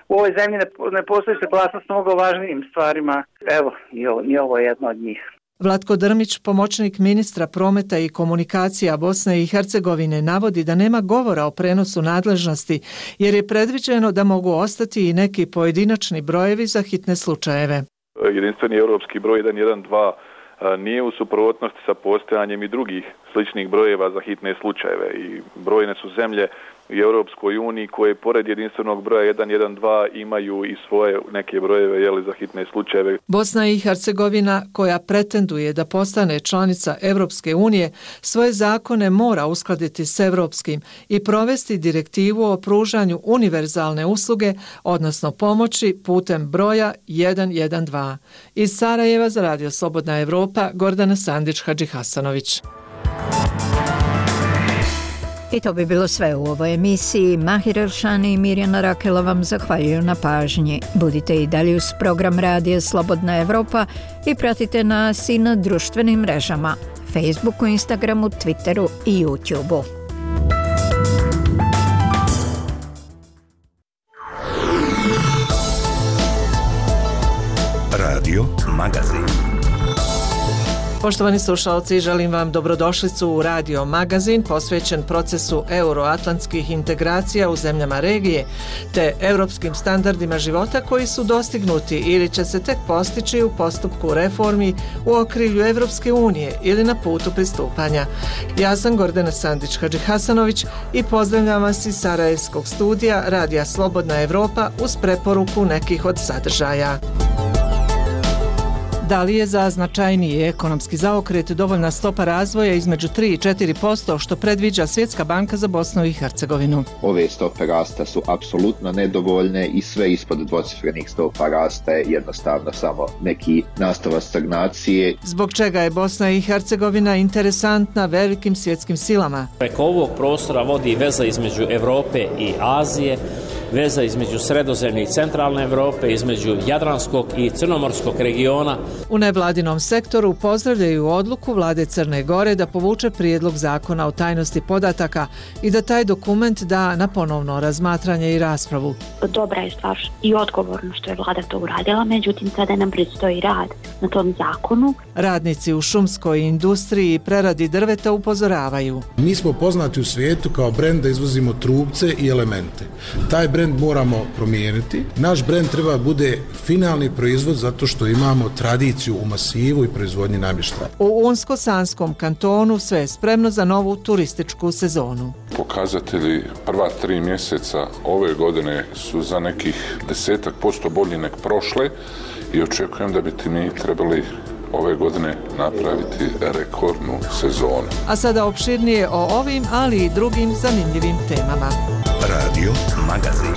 U ovoj zemlji ne postoji saglasnost mnogo važnijim stvarima. Evo, i ovo je jedno od njih. Vlatko Drmić, pomoćnik ministra prometa i komunikacija Bosne i Hercegovine, navodi da nema govora o prenosu nadležnosti jer je predviđeno da mogu ostati i neki pojedinačni brojevi za hitne slučajeve. Jedinstveni europski broj 112 nije u suprotnosti sa postojanjem i drugih sličnih brojeva za hitne slučajeve i brojne su zemlje u Europskoj uniji koje pored jedinstvenog broja 112 imaju i svoje neke brojeve za hitne slučajeve. Bosna i Hercegovina, koja pretenduje da postane članica Europske unije, svoje zakone mora uskladiti s europskim i provesti direktivu o pružanju univerzalne usluge, odnosno pomoći putem broja 112. Iz Sarajeva za Radio Slobodna Evropa, Gordana Sandić-Hadžihasanović. I to bi bilo sve u ovoj emisiji. Mahir Elšani i Mirjana Rakela vam zahvaljuju na pažnji. Budite i dalje uz program Radija Slobodna Evropa i pratite nas i na društvenim mrežama Facebooku, Instagramu, Twitteru i YouTubeu. Radio Magazin. Poštovani slušalci, želim vam dobrodošlicu u Radio Magazin posvećen procesu euroatlantskih integracija u zemljama regije te europskim standardima života koji su dostignuti ili će se tek postići u postupku reformi u okrilju Evropske unije ili na putu pristupanja. Ja sam Gordana Sandić-Hadžihasanović i pozdravljam vas iz Sarajevskog studija Radija Slobodna Evropa uz preporuku nekih od sadržaja. Da li je za značajniji ekonomski zaokret dovoljna stopa razvoja između 3 i 4% što predviđa Svjetska banka za Bosnu i Hercegovinu? Ove stope rasta su apsolutno nedovoljne i sve ispod dvocifrenih stopa rasta je jednostavno samo neki nastavak stagnacije. Zbog čega je Bosna i Hercegovina interesantna velikim svjetskim silama? Preko ovog prostora vodi veza između Evrope i Azije, veza između Sredozemlje i Centralne Evrope, između Jadranskog i Crnomorskog regiona. U nevladinom sektoru pozdravljaju odluku vlade Crne Gore da povuče prijedlog zakona o tajnosti podataka i da taj dokument da na ponovno razmatranje i raspravu. Dobra je stvar i odgovorno što je vlada to uradila, međutim sada nam predstoji rad na tom zakonu. Radnici u šumskoj industriji i preradi drveta upozoravaju. Mi smo poznati u svijetu kao brend da izvozimo trupce i elemente. Taj brend moramo promijeniti. Naš brend treba bude finalni proizvod zato što imamo tradiciju u masivu i proizvodnji namještaja. U Unsko-Sanskom kantonu sve je spremno za novu turističku sezonu. Pokazatelji prva 3 mjeseca ove godine su za nekih 10% bolji nek prošle i očekujem da bi mi trebali ove godine napraviti rekordnu sezonu. A sada opširnije o ovim, ali i drugim zanimljivim temama. Radio Magazin.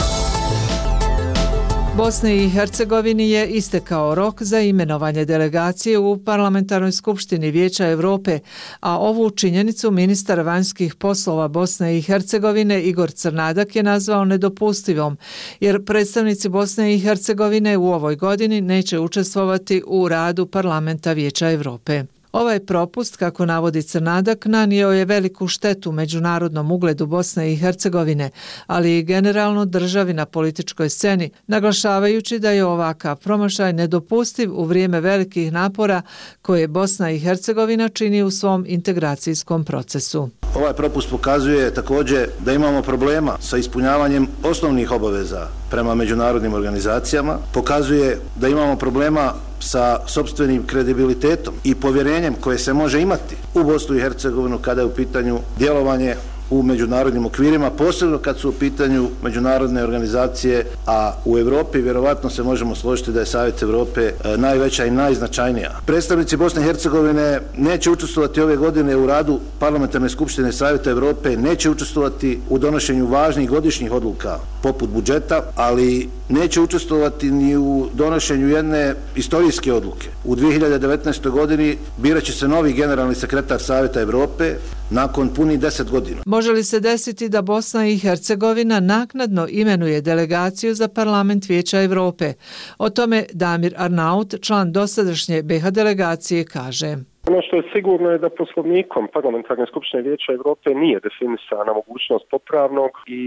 Bosni i Hercegovini je istekao rok za imenovanje delegacije u Parlamentarnoj skupštini Vijeća Europe, a ovu činjenicu ministar vanjskih poslova Bosne i Hercegovine Igor Crnadak je nazvao nedopustivom, jer predstavnici Bosne i Hercegovine u ovoj godini neće učestvovati u radu Parlamenta Vijeća Europe. Ovaj propust, kako navodi Crnadak, nanio je veliku štetu međunarodnom ugledu Bosne i Hercegovine, ali i generalno državi na političkoj sceni, naglašavajući da je ovakav promašaj nedopustiv u vrijeme velikih napora koje Bosna i Hercegovina čini u svom integracijskom procesu. Ovaj propust pokazuje također da imamo problema sa ispunjavanjem osnovnih obaveza prema međunarodnim organizacijama, pokazuje da imamo problema sa sopstvenim kredibilitetom i povjerenjem koje se može imati u Bosnu i Hercegovinu kada je u pitanju djelovanje u međunarodnim okvirima, posebno kad su u pitanju međunarodne organizacije, a u Europi vjerovatno se možemo složiti da je Savjet Europe najveća i najznačajnija. Predstavnici Bosne i Hercegovine neće učestvovati ove godine u radu Parlamentarne skupštine Savjeta Europe, neće učestvovati u donošenju važnih godišnjih odluka poput budžeta, ali neće učestvovati ni u donošenju jedne istorijske odluke. U 2019. godini birat će se novi generalni sekretar Savjeta Europe nakon punih 10 godina. Može li se desiti da Bosna i Hercegovina naknadno imenuje delegaciju za Parlament Vijeća Europe? O tome Damir Arnaut, član dosadašnje BiH delegacije, kaže. Ono što je sigurno je da poslovnikom Parlamentarne skupštine Vijeća Europe nije definisana mogućnost popravnog i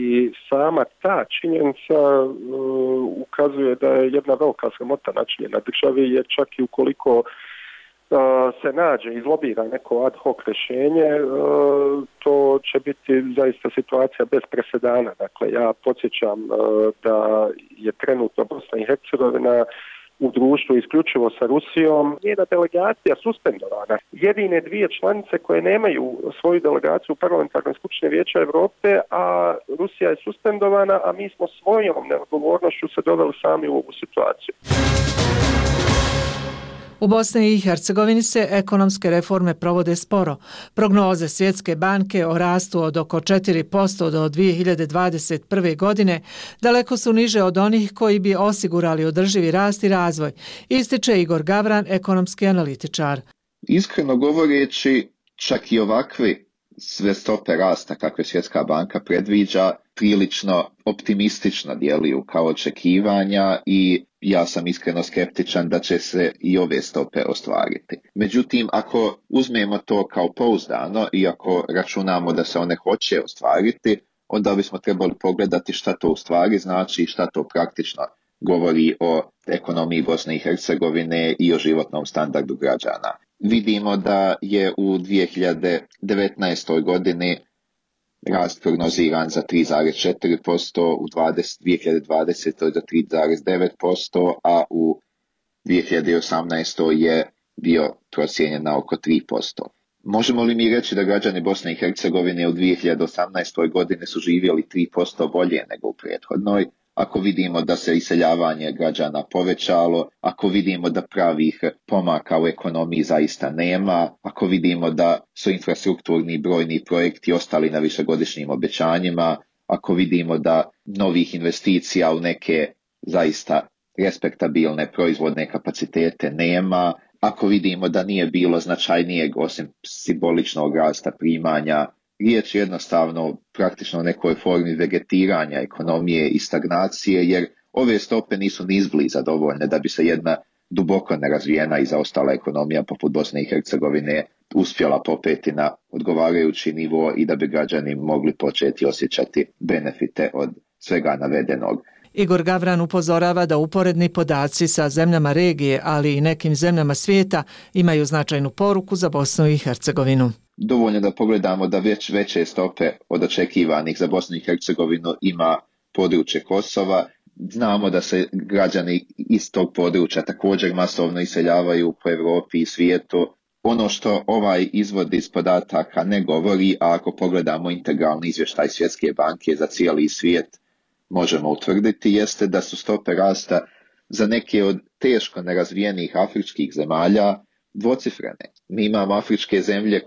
sama ta činjenica ukazuje da je jedna velika sramota načinjena državi, jer čak i ukoliko se nađe, izlobira neko ad hoc rješenje, to će biti zaista situacija bez presedana. Dakle, ja podsjećam da je trenutno Bosna i Hercegovina u društvu isključivo sa Rusijom, njena delegacija suspendovana. Jedine dvije članice koje nemaju svoju delegaciju u Parlamentarnoj skupštini Vijeća Europe, a Rusija je suspendovana, a mi smo svojom neodgovornošću se doveli sami u ovu situaciju. U Bosni i Hercegovini se ekonomske reforme provode sporo. Prognoze Svjetske banke o rastu od oko 4% do 2021. godine daleko su niže od onih koji bi osigurali održivi rast i razvoj, ističe Igor Gavran, ekonomski analitičar. Iskreno govoreći, čak i ovakvi sve stope rasta kakve Svjetska banka predviđa prilično optimistično djeluju kao očekivanja i ja sam iskreno skeptičan da će se i ove stope ostvariti. Međutim, ako uzmemo to kao pouzdano i ako računamo da se one hoće ostvariti, onda bismo trebali pogledati šta to u stvari znači i šta to praktično govori o ekonomiji Bosne i Hercegovine i o životnom standardu građana. Vidimo da je u 2019. godini rast prognoziran za 3,4%, u 2020. za 3,9%, a u 2018. je bio procijenjen na oko 3%. Možemo li mi reći da građani Bosne i Hercegovine u 2018. godine su živjeli 3% bolje nego u prethodnoj? Ako vidimo da se iseljavanje građana povećalo, ako vidimo da pravih pomaka u ekonomiji zaista nema, ako vidimo da su infrastrukturni brojni projekti ostali na višegodišnjim obećanjima, ako vidimo da novih investicija u neke zaista respektabilne proizvodne kapacitete nema, ako vidimo da nije bilo značajnijeg osim simboličnog rasta primanja, riječ je jednostavno praktično o nekoj formi vegetiranja ekonomije i stagnacije, jer ove stope nisu ni izbliza dovoljne da bi se jedna duboko nerazvijena i zaostala ekonomija poput Bosne i Hercegovine uspjela popeti na odgovarajući nivo i da bi građani mogli početi osjećati benefite od svega navedenog. Igor Gavran upozorava da uporedni podaci sa zemljama regije, ali i nekim zemljama svijeta imaju značajnu poruku za Bosnu i Hercegovinu. Dovoljno da pogledamo da već veće stope od očekivanih za Bosnu i Hercegovinu ima područje Kosova. Znamo da se građani iz tog područja također masovno iseljavaju po Europi i svijetu. Ono što ovaj izvod iz podataka ne govori, a ako pogledamo integralni izvještaj Svjetske banke za cijeli svijet, možemo utvrditi, jeste da su stope rasta za neke od teško nerazvijenih afričkih zemalja dvocifrene. Mi imamo afričke zemlje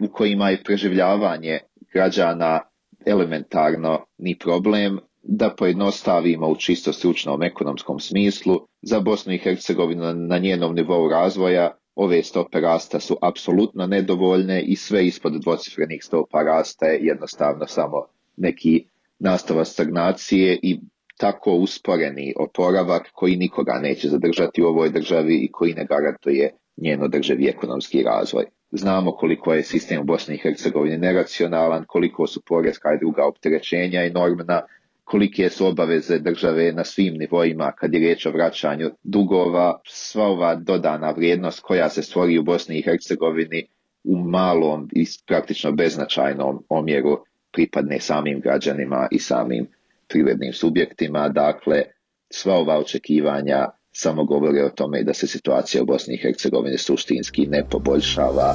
u kojima je preživljavanje građana elementarno ni problem. Da pojednostavimo u čisto stručnom ekonomskom smislu, za Bosnu i Hercegovinu na njenom nivou razvoja ove stope rasta su apsolutno nedovoljne i sve ispod dvocifrenih stopa rasta je jednostavno samo neki nastavak stagnacije i tako usporeni oporavak koji nikoga neće zadržati u ovoj državi i koji ne garantuje njen održivi ekonomski razvoj. Znamo koliko je sistem u Bosni i Hercegovini neracionalan, koliko su poreska i druga opterećenja enormna, kolike su obaveze države na svim nivoima kad je riječ o vraćanju dugova. Sva ova dodana vrijednost koja se stvori u Bosni i Hercegovini u malom i praktično beznačajnom omjeru pripadne samim građanima i samim privrednim subjektima. Dakle, sva ova očekivanja samo govore o tome da se situacija u Bosni i Hercegovini suštinski ne poboljšava.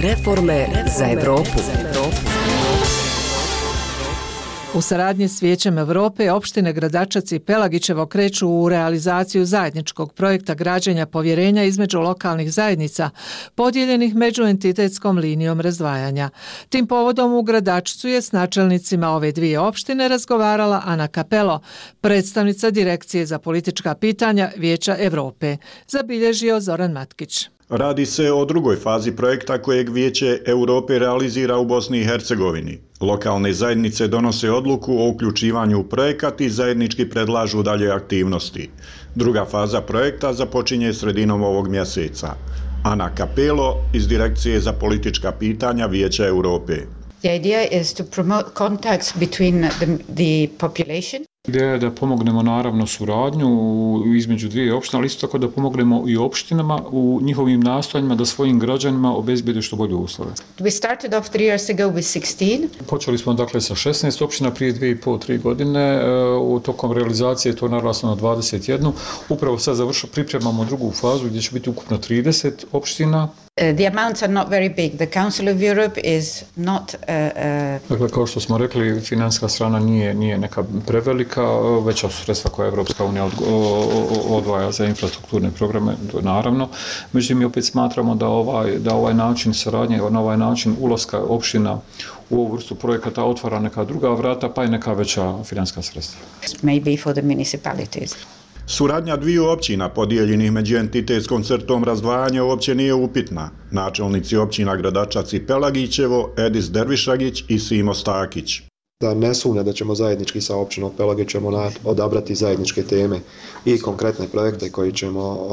Reforme za Evropu. U saradnji s Vijećem Europe, opštine Gradačac i Pelagićevo kreću u realizaciju zajedničkog projekta građenja povjerenja između lokalnih zajednica, podijeljenih međuentitetskom linijom razdvajanja. Tim povodom u Gradačcu je s načelnicima ove dvije opštine razgovarala Ana Capello, predstavnica Direkcije za politička pitanja Vijeća Europe. Zabilježio Zoran Matkić. Radi se o drugoj fazi projekta kojeg Vijeće Europe realizira u Bosni i Hercegovini. Lokalne zajednice donose odluku o uključivanju u projekat i zajednički predlažu dalje aktivnosti. Druga faza projekta započinje sredinom ovog mjeseca. Ana Capello iz Direkcije za politička pitanja Vijeća Europe. The idea is to promote contacts between the population. Ideja je da pomognemo naravno suradnju između dvije opštine, ali isto tako da pomognemo i opštinama u njihovim nastojanjima da svojim građanima obezbijede što bolje uslove. We started off 3 years ago with 16. Počeli smo dakle sa 16 opština prije 2,5-3 godine, u tokom realizacije to naraslo na 21. Upravo sad pripremamo drugu fazu gdje će biti ukupno 30 opština. The amounts are not very big. The Council of Europe is not Dakle, kao što smo rekli, financijska strana nije neka prevelika, veća su sredstva koja Evropska unija odvaja za infrastrukturne programe, naravno. Međutim, mi opet smatramo da ovaj način saradnje, na ovaj način ulaska opština u ovu vrstu projekata otvara neka druga vrata, pa i neka veća financijska sredstva. Maybe for the municipalities. Suradnja dviju općina podijeljenih među entitetskom crtom razdvajanja uopće nije upitna. Načelnici općina Gradačac i Pelagićevo, Edis Dervišagić i Simo Stakić. Da ne sumnja da ćemo zajednički sa općinom Pelagićem odabrati zajedničke teme i konkretne projekte koji ćemo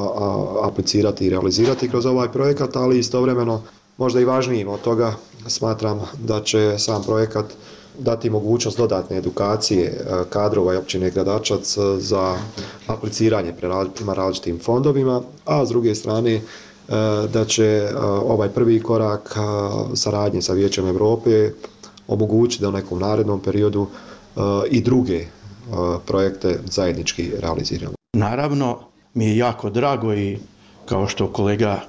aplicirati i realizirati kroz ovaj projekat, ali istovremeno možda i važnijim od toga smatram da će sam projekat dati mogućnost dodatne edukacije kadrova i općine Gradačac za apliciranje prema različitim fondovima, a s druge strane da će ovaj prvi korak saradnje sa Vijećem Europe omogućiti da u nekom narednom periodu i druge projekte zajednički realiziramo. Naravno, mi je jako drago i kao što kolega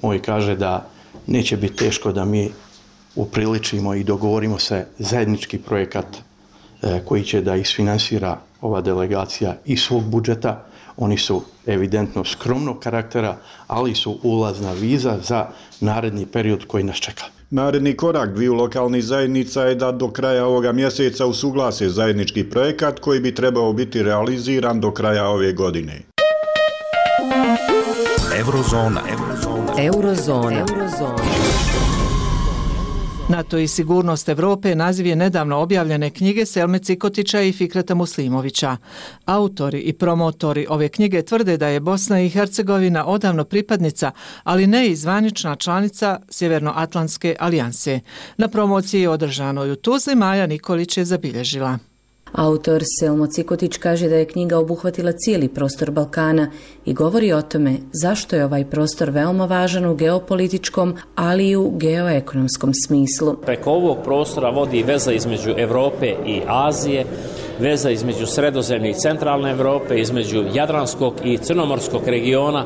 moj kaže da neće biti teško da mi upriličimo i dogovorimo se zajednički projekat koji će da isfinansira ova delegacija iz svog budžeta. Oni su evidentno skromnog karaktera, ali su ulazna viza za naredni period koji nas čeka. Naredni korak dviju lokalnih zajednica je da do kraja ovoga mjeseca usuglase zajednički projekat koji bi trebao biti realiziran do kraja ove godine. Eurozona. NATO i sigurnost Europe naziv je nedavno objavljene knjige Selme Cikotića i Fikreta Muslimovića. Autori i promotori ove knjige tvrde da je Bosna i Hercegovina odavno pripadnica, ali ne i zvanična članica Sjevernoatlantske alijanse. Na promociji održanoj u Tuzli Maja Nikolić je zabilježila. Autor Selmo Cikotić kaže da je knjiga obuhvatila cijeli prostor Balkana i govori o tome zašto je ovaj prostor veoma važan u geopolitičkom, ali i u geoekonomskom smislu. Preko ovog prostora vodi veza između Europe i Azije, veza između Sredozemne i Centralne Europe, između Jadranskog i Crnomorskog regiona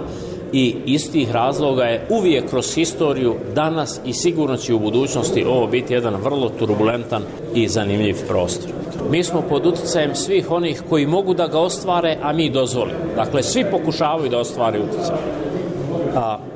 i iz tih razloga je uvijek kroz historiju danas i sigurno će u budućnosti ovo biti jedan vrlo turbulentan i zanimljiv prostor. Mi smo pod utjecajem svih onih koji mogu da ga ostvare, a mi dozvolimo. Dakle, svi pokušavaju da ostvare utjecaj.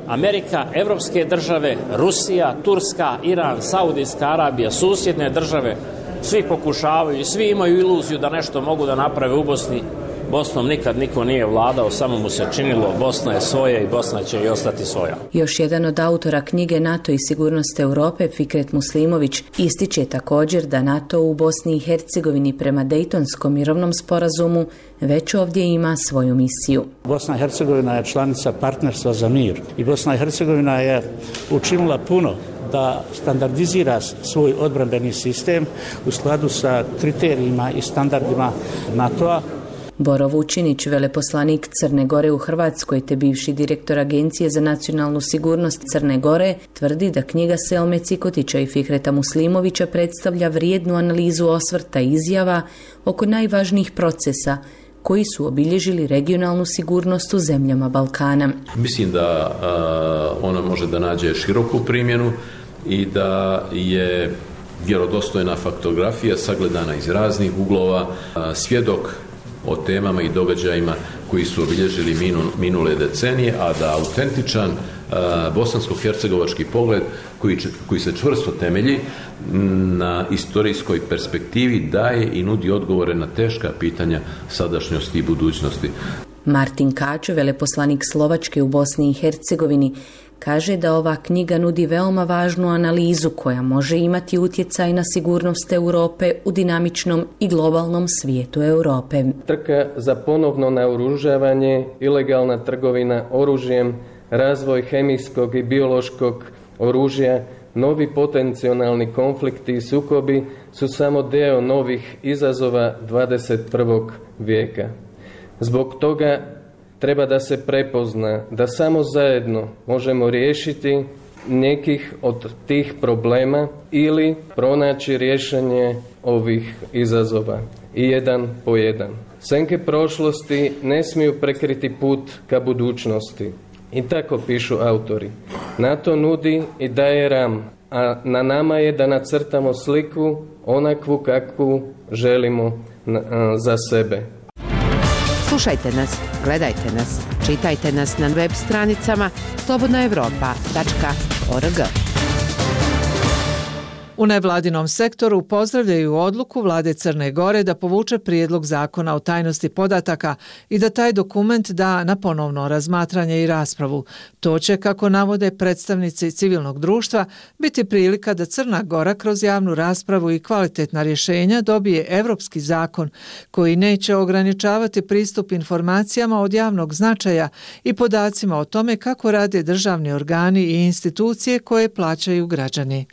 Amerika, evropske države, Rusija, Turska, Iran, Saudijska Arabija, susjedne države, svi pokušavaju i svi imaju iluziju da nešto mogu da naprave u Bosni. Bosnom nikad niko nije vladao, samo mu se činilo Bosna je svoja i Bosna će i ostati svoja. Još jedan od autora knjige NATO i sigurnost Europe, Fikret Muslimović, ističe također da NATO u Bosni i Hercegovini prema Dejtonskom mirovnom sporazumu već ovdje ima svoju misiju. Bosna i Hercegovina je članica partnerstva za mir i Bosna i Hercegovina je učinila puno da standardizira svoj odbrambeni sistem u skladu sa kriterijima i standardima NATO-a. Boro Vučinić, veleposlanik Crne Gore u Hrvatskoj te bivši direktor Agencije za nacionalnu sigurnost Crne Gore, tvrdi da knjiga Selme Cikotića i Fikreta Muslimovića predstavlja vrijednu analizu osvrta i izjava oko najvažnijih procesa koji su obilježili regionalnu sigurnost u zemljama Balkana. Mislim da ona može da nađe široku primjenu i da je vjerodostojna faktografija sagledana iz raznih uglova, svjedok o temama i događajima koji su obilježili minule decenije, a da autentičan bosansko-hercegovački pogled koji se čvrsto temelji na istorijskoj perspektivi daje i nudi odgovore na teška pitanja sadašnjosti i budućnosti. Martin Kačo, veleposlanik Slovačke u Bosni i Hercegovini, kaže da ova knjiga nudi veoma važnu analizu koja može imati utjecaj na sigurnost Europe u dinamičnom i globalnom svijetu Europe. Trka za ponovno naoružavanje, ilegalna trgovina oružjem, razvoj hemijskog i biološkog oružja Novi potencijalni konflikti i sukobi su samo dio novih izazova 21. vijeka. Zbog toga treba da se prepozna da samo zajedno možemo riješiti nekih od tih problema ili pronaći rješenje ovih izazova i jedan po jedan. Senke prošlosti ne smiju prekriti put ka budućnosti. I tako pišu autori. NATO nudi i daje ram, a na nama je da nacrtamo sliku onakvu kakvu želimo za sebe. Slušajte nas, gledajte nas, čitajte nas na web stranicama slobodnaevropa.org. U nevladinom sektoru pozdravljaju odluku vlade Crne Gore da povuče prijedlog zakona o tajnosti podataka i da taj dokument da na ponovno razmatranje i raspravu. To će, kako navode predstavnici civilnog društva, biti prilika da Crna Gora kroz javnu raspravu i kvalitetna rješenja dobije evropski zakon koji neće ograničavati pristup informacijama od javnog značaja i podacima o tome kako rade državni organi i institucije koje plaćaju građani.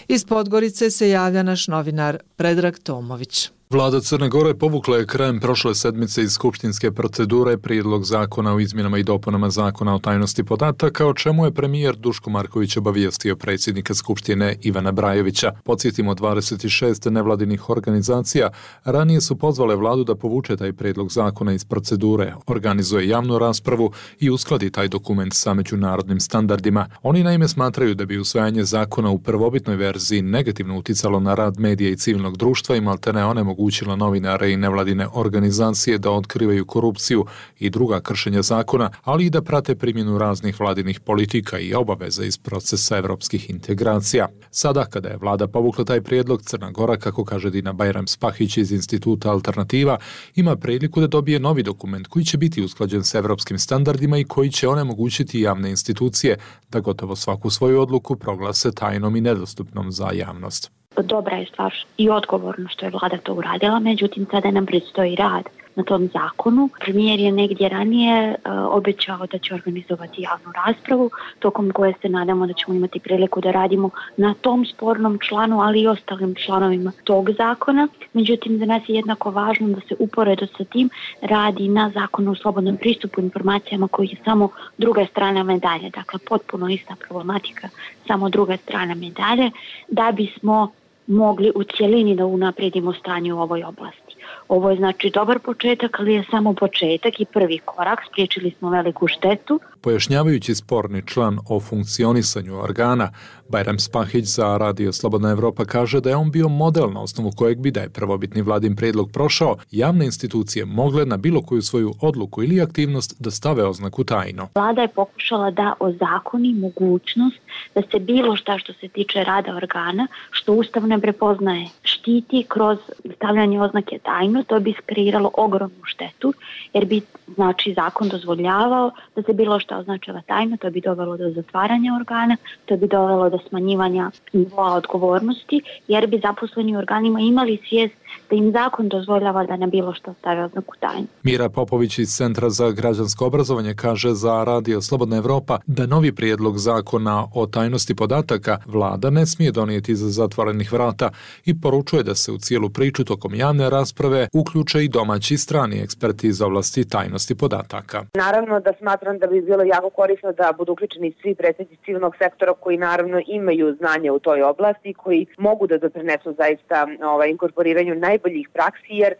Iz Podgorice se javlja naš novinar Predrag Tomović. Vlada Crne Gore povukla je krajem prošle sedmice iz skupštinske procedure prijedlog zakona o izmjenama i dopunama zakona o tajnosti podataka, o čemu je premijer Duško Marković obavijestio predsjednika Skupštine Ivana Brajevića. Podsjetimo, 26 nevladinih organizacija ranije su pozvale vladu da povuče taj prijedlog zakona iz procedure, organizuje javnu raspravu i uskladi taj dokument sa međunarodnim standardima. Oni naime smatraju da bi usvajanje zakona u prvobitnoj verziji negativno uticalo na rad medija i civilnog društva i maltene onemogućilo novinare i nevladine organizacije da otkrivaju korupciju i druga kršenja zakona, ali i da prate primjenu raznih vladinih politika i obaveza iz procesa evropskih integracija. Sada, kada je vlada povukla taj prijedlog, Crna Gora, kako kaže Dina Bajram-Spahić iz Instituta Alternativa, ima priliku da dobije novi dokument koji će biti usklađen s evropskim standardima i koji će onemogućiti javne institucije da gotovo svaku svoju odluku proglase tajnom i nedostupnom za javnost. Dobra je stvar i odgovorno što je vlada to uradila, međutim sada nam predstoji rad na tom zakonu. Premijer je negdje ranije obećao da će organizovati javnu raspravu, tokom koje se nadamo da ćemo imati priliku da radimo na tom spornom članu, ali i ostalim članovima tog zakona. Međutim, za nas je jednako važno da se uporedo sa tim radi na zakonu o slobodnom pristupu informacijama koji je samo druga strana medalje, dakle potpuno ista problematika, samo druga strana medalje, da bismo mogli u cjelini da unaprijedimo stanje u ovoj oblasti. Ovo je znači dobar početak, ali je samo početak i prvi korak. Spriječili smo veliku štetu. Pojašnjavajući sporni član o funkcionisanju organa, Bajram-Spahić za Radio Slobodna Evropa kaže da je on bio model na osnovu kojeg bi, da je prvobitni vladin prijedlog prošao, javne institucije mogle na bilo koju svoju odluku ili aktivnost da stave oznaku tajno. Vlada je pokušala da ozakoni mogućnost da se bilo šta što se tiče rada organa, što Ustav ne prepoznaje, štiti kroz stavljanje oznake tajno. To bi kreiralo ogromnu štetu, jer bi znači zakon dozvoljavao da se bilo šta označava tajno, to bi dovelo do zatvaranja organa, to bi dovelo do smanjivanja nivoa odgovornosti, jer bi zaposleni u organima imali svijest da im zakon dozvoljava da na bilo što stave oznaku tajno. Mira Popović iz Centra za građansko obrazovanje kaže za Radio Slobodna Evropa da novi prijedlog zakona o tajnosti podataka vlada ne smije donijeti iza zatvorenih vrata i poručuje da se u cijelu priču tokom javne rasprave uključe i domaći i strani eksperti iz oblasti tajnosti podataka. Naravno da smatram da bi bilo jako korisno da budu uključeni svi predstavnici civilnog sektora koji naravno imaju znanje u toj oblasti i koji mogu da doprinesu zaista inkorporiranju najboljih praksi, jer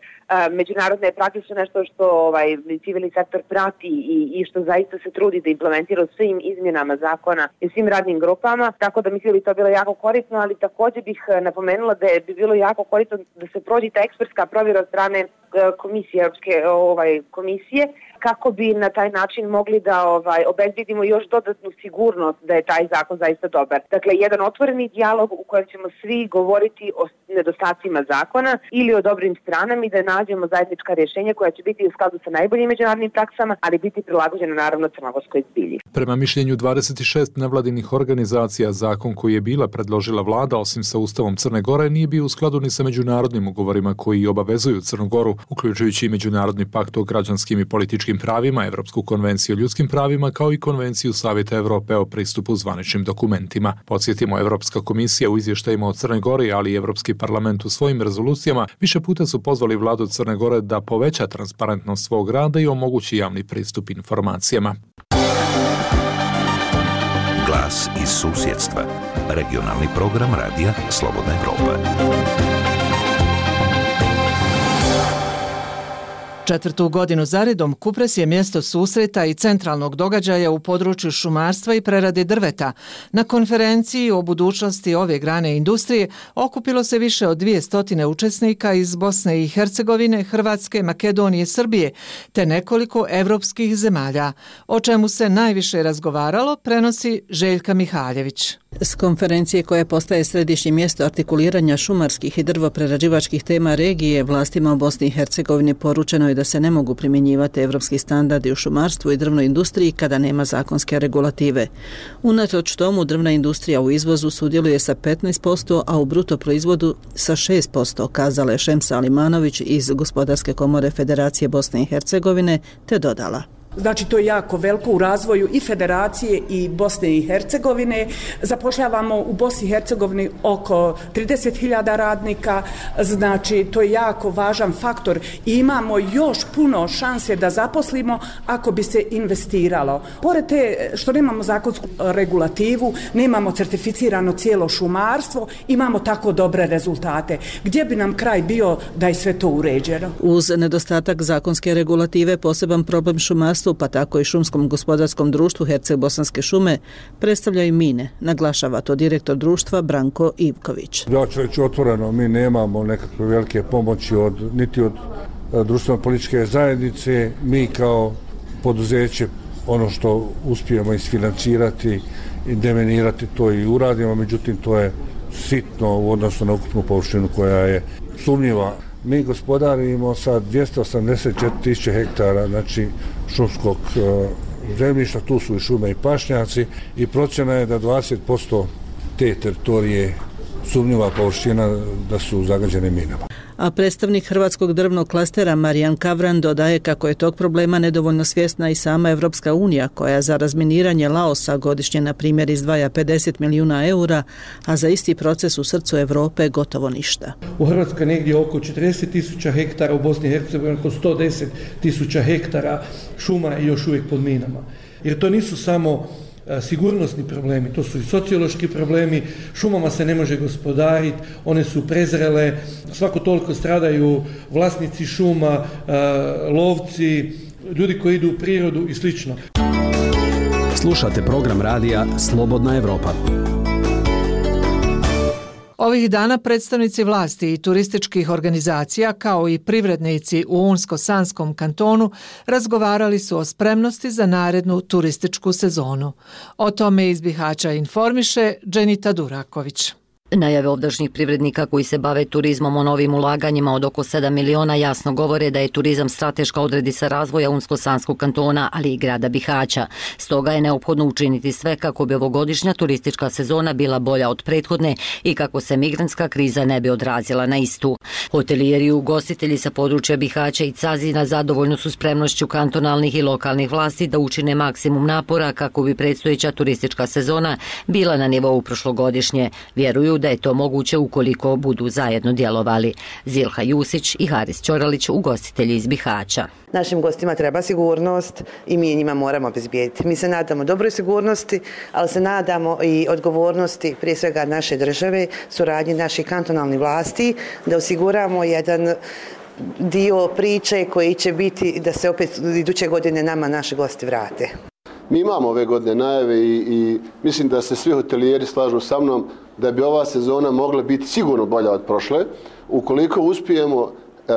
međunarodne prakse su nešto što civilni sektor prati i što zaista se trudi da implementira u svim izmjenama zakona i svim radnim grupama, tako da mislim da bi to bilo jako korisno, ali također bih napomenula da bi bilo jako korisno da se prođe ta ekspertska provjera od strane komisije, Europske komisije, kako bi na taj način mogli da obezbedimo još dodatnu sigurnost da je taj zakon zaista dobar. Dakle, jedan otvoreni dijalog u kojem ćemo svi govoriti o nedostacima zakona ili o dobrim stranama i da nađemo zajednička rješenja koja će biti u skladu sa najboljim međunarodnim praksama, ali biti prilagođena naravno crnogorskoj zbilji. Prema mišljenju 26 nevladinih organizacija, zakon koji je bila predložila vlada, osim sa Ustavom Crne Gore, nije bio u skladu ni sa međunarodnim ugovorima koji obavezuju Crnu Goru, uključujući i Međunarodni pakt o građanskim i političkim pravima, Evropsku konvenciju o ljudskim pravima, kao i Konvenciju Savjeta Evrope o pristupu zvaničnim dokumentima. Podsjetimo, Evropska komisija u izvještajima o Crnoj Gori, ali i Evropski parlament u svojim rezolucijama više puta su pozvali vladu Crne Gore da poveća transparentnost svog rada i omogući javni pristup informacijama. Glas iz susjedstva. Regionalni program radija Slobodna Evropa. Četvrtu godinu zaredom Kupres je mjesto susreta i centralnog događaja u području šumarstva i prerade drveta. Na konferenciji o budućnosti ove grane industrije okupilo se više od 200 učesnika iz Bosne i Hercegovine, Hrvatske, Makedonije, Srbije, te nekoliko evropskih zemalja. O čemu se najviše razgovaralo, prenosi Željka Mihaljević. S konferencije koje postaje središnje mjesto artikuliranja šumarskih i drvoprerađivačkih tema regije, vlastima u Bosni i Hercegovini poručeno je da se ne mogu primjenjivati evropski standardi u šumarstvu i drvnoj industriji kada nema zakonske regulative. Unatoč tomu, drvna industrija u izvozu sudjeluje sa 15%, a u bruto proizvodu sa 6%, kazala je Šemsa Alimanović iz Gospodarske komore Federacije Bosne i Hercegovine, te dodala. Znači, to je jako veliko u razvoju i Federacije i Bosne i Hercegovine. Zapošljavamo u Bosni i Hercegovini oko 30.000 radnika, znači to je jako važan faktor i imamo još puno šanse da zaposlimo ako bi se investiralo. Pored te što nemamo zakonsku regulativu, nemamo certificirano cijelo šumarstvo, imamo tako dobre rezultate. Gdje bi nam kraj bio da je sve to uređeno? Uz nedostatak zakonske regulative, poseban problem šumarstva, pa tako i šumskom gospodarskom društvu Herceg-Bosanske šume, predstavljaju mine, naglašava to direktor društva Branko Ivković. Ja ću reći otvoreno, mi nemamo nekakve velike pomoći niti od društveno-političke zajednice. Mi kao poduzeće ono što uspijemo isfinancirati i demenirati to i uradimo, međutim to je sitno u odnosu na ukupnu površinu koja je sumnjiva. Mi gospodarimo sa 284.000 hektara, znači šumskog zemljišta, tu su i šume i pašnjaci i procjena je da 20% te teritorije sumnjiva površina da su zagađene minama. A predstavnik Hrvatskog drvnog klastera Marijan Kavran dodaje kako je tog problema nedovoljno svjesna i sama Evropska unija, koja za razminiranje Laosa godišnje na primjer izdvaja 50 milijuna eura, a za isti proces u srcu Europe gotovo ništa. U Hrvatskoj negdje oko 40.000 hektara, u Bosni i Hercegovini oko 110.000 hektara šuma je još uvijek pod minama. Jer to nisu samo sigurnosni problemi, to su i sociološki problemi, šumama se ne može gospodariti, one su prezrele, svako toliko stradaju vlasnici šuma, lovci, ljudi koji idu u prirodu i slično. Slušate program radija Slobodna Evropa. Ovih dana predstavnici vlasti i turističkih organizacija kao i privrednici u Unsko-Sanskom kantonu razgovarali su o spremnosti za narednu turističku sezonu. O tome iz Bihaća informiše Dženita Duraković. Najave ovdašnjih privrednika koji se bave turizmom o novim ulaganjima od oko 7 miliona jasno govore da je turizam strateška odrednica razvoja Unsko-Sanskog kantona, ali i grada Bihaća. Stoga je neophodno učiniti sve kako bi ovogodišnja turistička sezona bila bolja od prethodne i kako se migrantska kriza ne bi odrazila na istu. Hotelijeri i ugostitelji sa područja Bihaća i Cazina zadovoljno su spremnošću kantonalnih i lokalnih vlasti da učine maksimum napora kako bi predstojeća turistička sezona bila na nivou prošlogodišnje. Vjeruju da je to moguće ukoliko budu zajedno djelovali. Zilha Jusić i Haris Ćoralić, ugostitelji iz Bihaća. Našim gostima treba sigurnost i mi njima moramo obezbijediti. Mi se nadamo dobroj sigurnosti, ali se nadamo i odgovornosti prije svega naše države, suradnji naših kantonalnih vlasti, da osiguramo jedan dio priče koji će biti da se opet iduće godine nama naši gosti vrate. Mi imamo ove godine najave i mislim da se svi hotelijeri slažu sa mnom da bi ova sezona mogla biti sigurno bolja od prošle, ukoliko uspijemo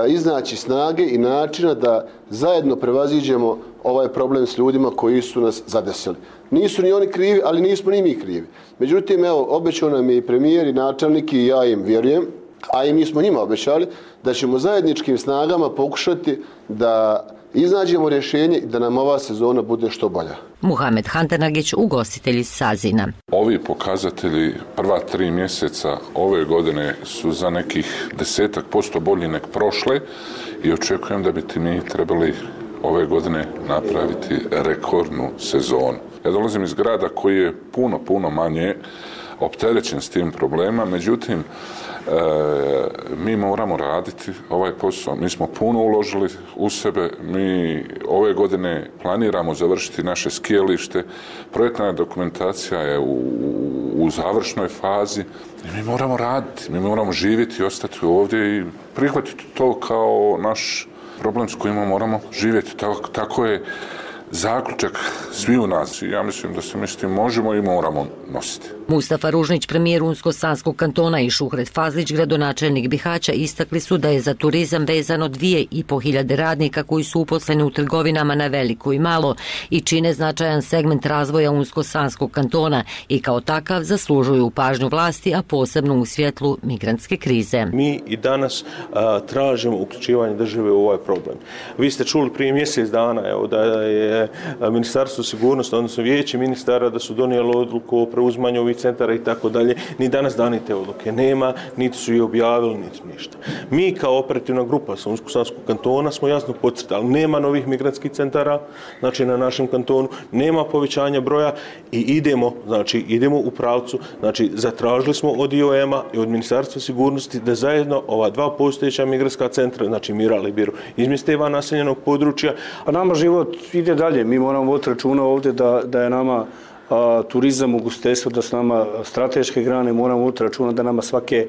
iznaći snage i načina da zajedno prevaziđemo ovaj problem s ljudima koji su nas zadesili. Nisu ni oni krivi, ali nismo ni mi krivi. Međutim, evo, obećao nam je i premijer i načelnik i ja im vjerujem a i mi smo njima obećali da ćemo zajedničkim snagama pokušati da iznađemo rješenje i da nam ova sezona bude što bolja. Muhamed Hantanagić, ugostitelj iz Sazina. Ovi pokazatelji prva 3 mjeseca ove godine su za nekih 10% bolji nek prošle i očekujem da bi mi trebali ove godine napraviti rekordnu sezonu. Ja dolazim iz grada koji je puno manje opterećen s tim problema, međutim mi moramo raditi ovaj posao. Mi smo puno uložili u sebe, mi ove godine planiramo završiti naše skijalište, projektna dokumentacija je u završnoj fazi i mi moramo raditi, mi moramo živjeti i ostati ovdje i prihvatiti to kao naš problem s kojim moramo živjeti. Tako je zaključak svi u nas. Ja mislim da se mi s tim možemo i moramo nositi. Mustafa Ružnić, premijer Unsko-Sanskog kantona, i Šuhret Fazlić, gradonačelnik Bihaća, istakli su da je za turizam vezano 2.500 radnika koji su uposleni u trgovinama na veliko i malo i čine značajan segment razvoja Unsko-Sanskog kantona i kao takav zaslužuju pažnju vlasti, a posebno u svjetlu migrantske krize. Mi i danas tražimo uključivanje države u ovaj problem. Vi ste čuli prije mjesec dana da je Ministarstvo sigurnosti, odnosno vijeće ministara, da su donijeli odluku o preuzimanju ovih centara i tako dalje. Ni danas dani te odluke nema, niti su i objavili, niti ništa. Mi kao operativna grupa sa Unsko-Sanskog kantona smo jasno podcrtali, nema novih migrantskih centara, znači na našem kantonu, nema povećanja broja i idemo u pravcu, znači zatražili smo od IOM-a i od Ministarstva sigurnosti da zajedno ova 2 postojeća migrantska centra, znači Miral i Biru, izmjeste van naseljenog područja. A nama život ide dalje, mi moramo voditi računa ovdje da je nama turizam, ugostiteljstvo, da su nama strateške grane, moramo voditi računa da nama svake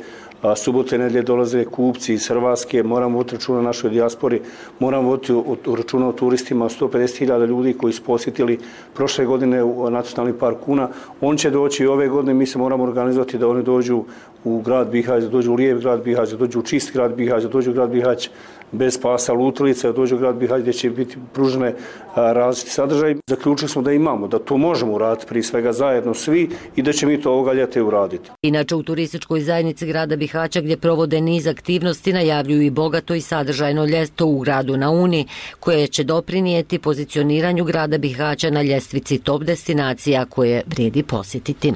subote i nedjelje dolaze kupci iz Hrvatske, moramo voditi računa o našoj dijaspori, moramo voditi računa o turistima, 150.000 ljudi koji su posjetili prošle godine u Nacionalni park Una. On će doći i ove godine, mi se moramo organizovati da oni dođu u grad Bihać, da dođu u lijep grad Bihać, da dođu u čist grad Bihać, da dođu u grad Bihać bez pasa lutalica, da dođu u grad Bihać gdje će biti pružene različiti sadržaj. Zaključili smo da imamo, da to možemo uraditi prije svega zajedno svi i da će mi to ovoga ljeta uraditi. Inače, u turističkoj zajednici grada Bihaća, gdje provode niz aktivnosti, najavljuju i bogato i sadržajno ljeto u gradu na Uni, koje će doprinijeti pozicioniranju grada Bihaća na ljestvici top destinacija koje vrijedi posjetiti.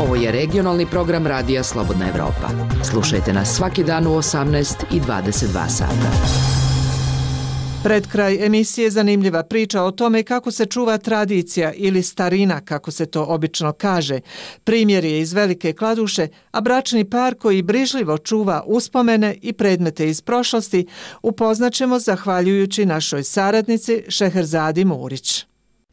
Ovo je regionalni program Radija Slobodna Evropa. Slušajte nas svaki dan u 18 i 22 sata. Pred kraj emisije zanimljiva priča o tome kako se čuva tradicija ili starina, kako se to obično kaže. Primjer je iz Velike Kladuše, a bračni par koji brižljivo čuva uspomene i predmete iz prošlosti upoznaćemo zahvaljujući našoj saradnici Šeherzadi Murić.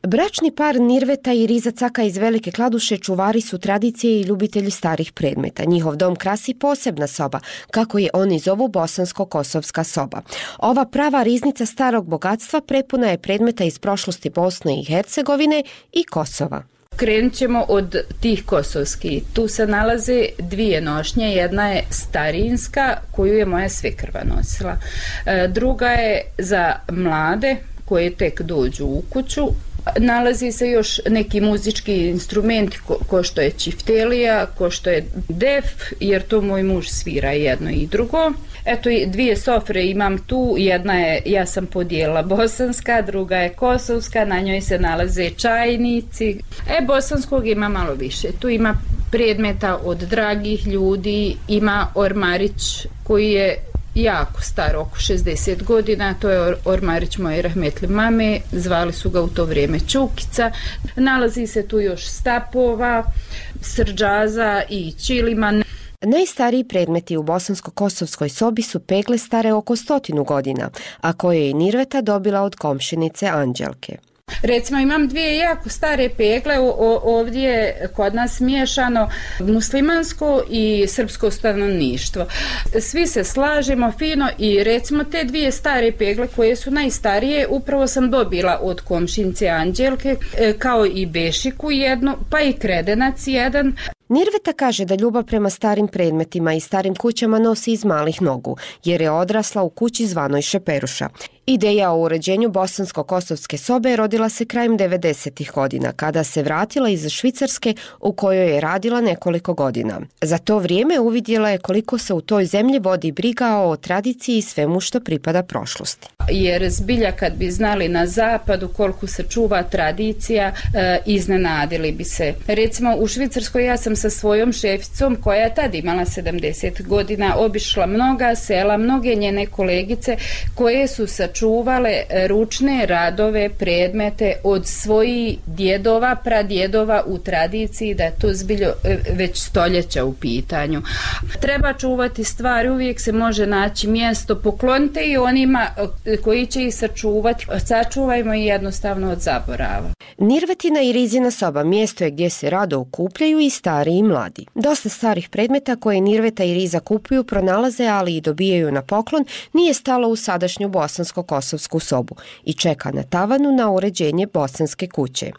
Bračni par Nirveta i Riza Caka iz Velike Kladuše čuvari su tradicije i ljubitelji starih predmeta. Njihov dom krasi posebna soba, kako je oni zovu bosansko-kosovska soba. Ova prava riznica starog bogatstva prepuna je predmeta iz prošlosti Bosne i Hercegovine i Kosova. Krenut ćemo od tih kosovskih. Tu se nalaze 2 nošnje. Jedna je starinska, koju je moja svekrva nosila. Druga je za mlade koje tek dođu u kuću. Nalazi se još neki muzički instrumenti ko što je čiftelija, ko što je def, jer to moj muž svira jedno i drugo. Eto, 2 sofre imam tu, jedna je, ja sam podijela bosanska, druga je kosovska, na njoj se nalaze čajnici. Bosanskog ima malo više, tu ima predmeta od dragih ljudi, ima ormarić koji je jako star, oko 60 godina, to je ormarić moje rahmetli mame, zvali su ga u to vrijeme Čukica. Nalazi se tu još stapova, srđaza i čiliman. Najstariji predmeti u bosansko-kosovskoj sobi su pegle stare oko 100 godina, a koje je Nirveta dobila od komšinice Anđelke. Recimo imam 2 jako stare pegle, ovdje je kod nas miješano muslimansko i srpsko stanovništvo. Svi se slažemo fino i recimo te 2 stare pegle koje su najstarije upravo sam dobila od komšinice Anđelke, kao i bešiku jednu, pa i kredenac jedan. Nirveta kaže da ljubav prema starim predmetima i starim kućama nosi iz malih nogu, jer je odrasla u kući zvanoj Šeperuša. Ideja o uređenju bosansko-kosovske sobe rodila se krajem 90. godina, kada se vratila iz Švicarske u kojoj je radila nekoliko godina. Za to vrijeme uvidjela je koliko se u toj zemlji vodi briga o tradiciji i svemu što pripada prošlosti. Jer zbilja kad bi znali na zapadu koliko se čuva tradicija, iznenadili bi se. Recimo u Švicarskoj ja sam sa svojom šeficom koja je tad imala 70 godina obišla mnoga sela, mnoge njene kolegice koje su sačuvale ručne radove, predmete od svojih djedova, pradjedova u tradiciji, da je to zbiljo već stoljeća u pitanju. Treba čuvati stvari, uvijek se može naći mjesto, poklonite i onima koji će ih sačuvati, sačuvajmo i jednostavno od zaborava. Nirvetina i Rizina soba mjesto je gdje se rado okupljaju i stari i mladi. Dosta starih predmeta koje Nirveta i Riza kupuju, pronalaze, ali i dobijaju na poklon, nije stalo u sadašnju bosansko-kosovsku sobu i čeka na tavanu na uređenje bosanske kuće.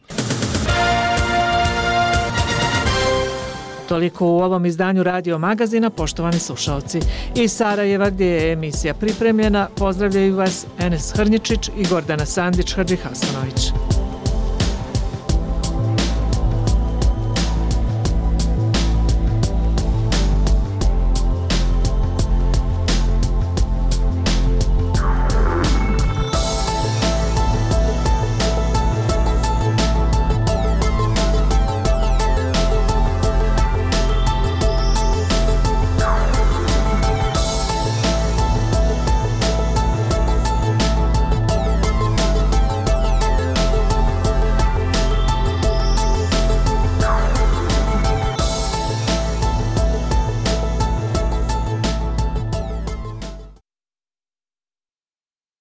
Toliko u ovom izdanju Radio Magazina, poštovani slušalci. Iz Sarajeva, gdje je emisija pripremljena, pozdravljaju vas Enes Hrnjičić i Gordana Sandić-Hadžihasanović.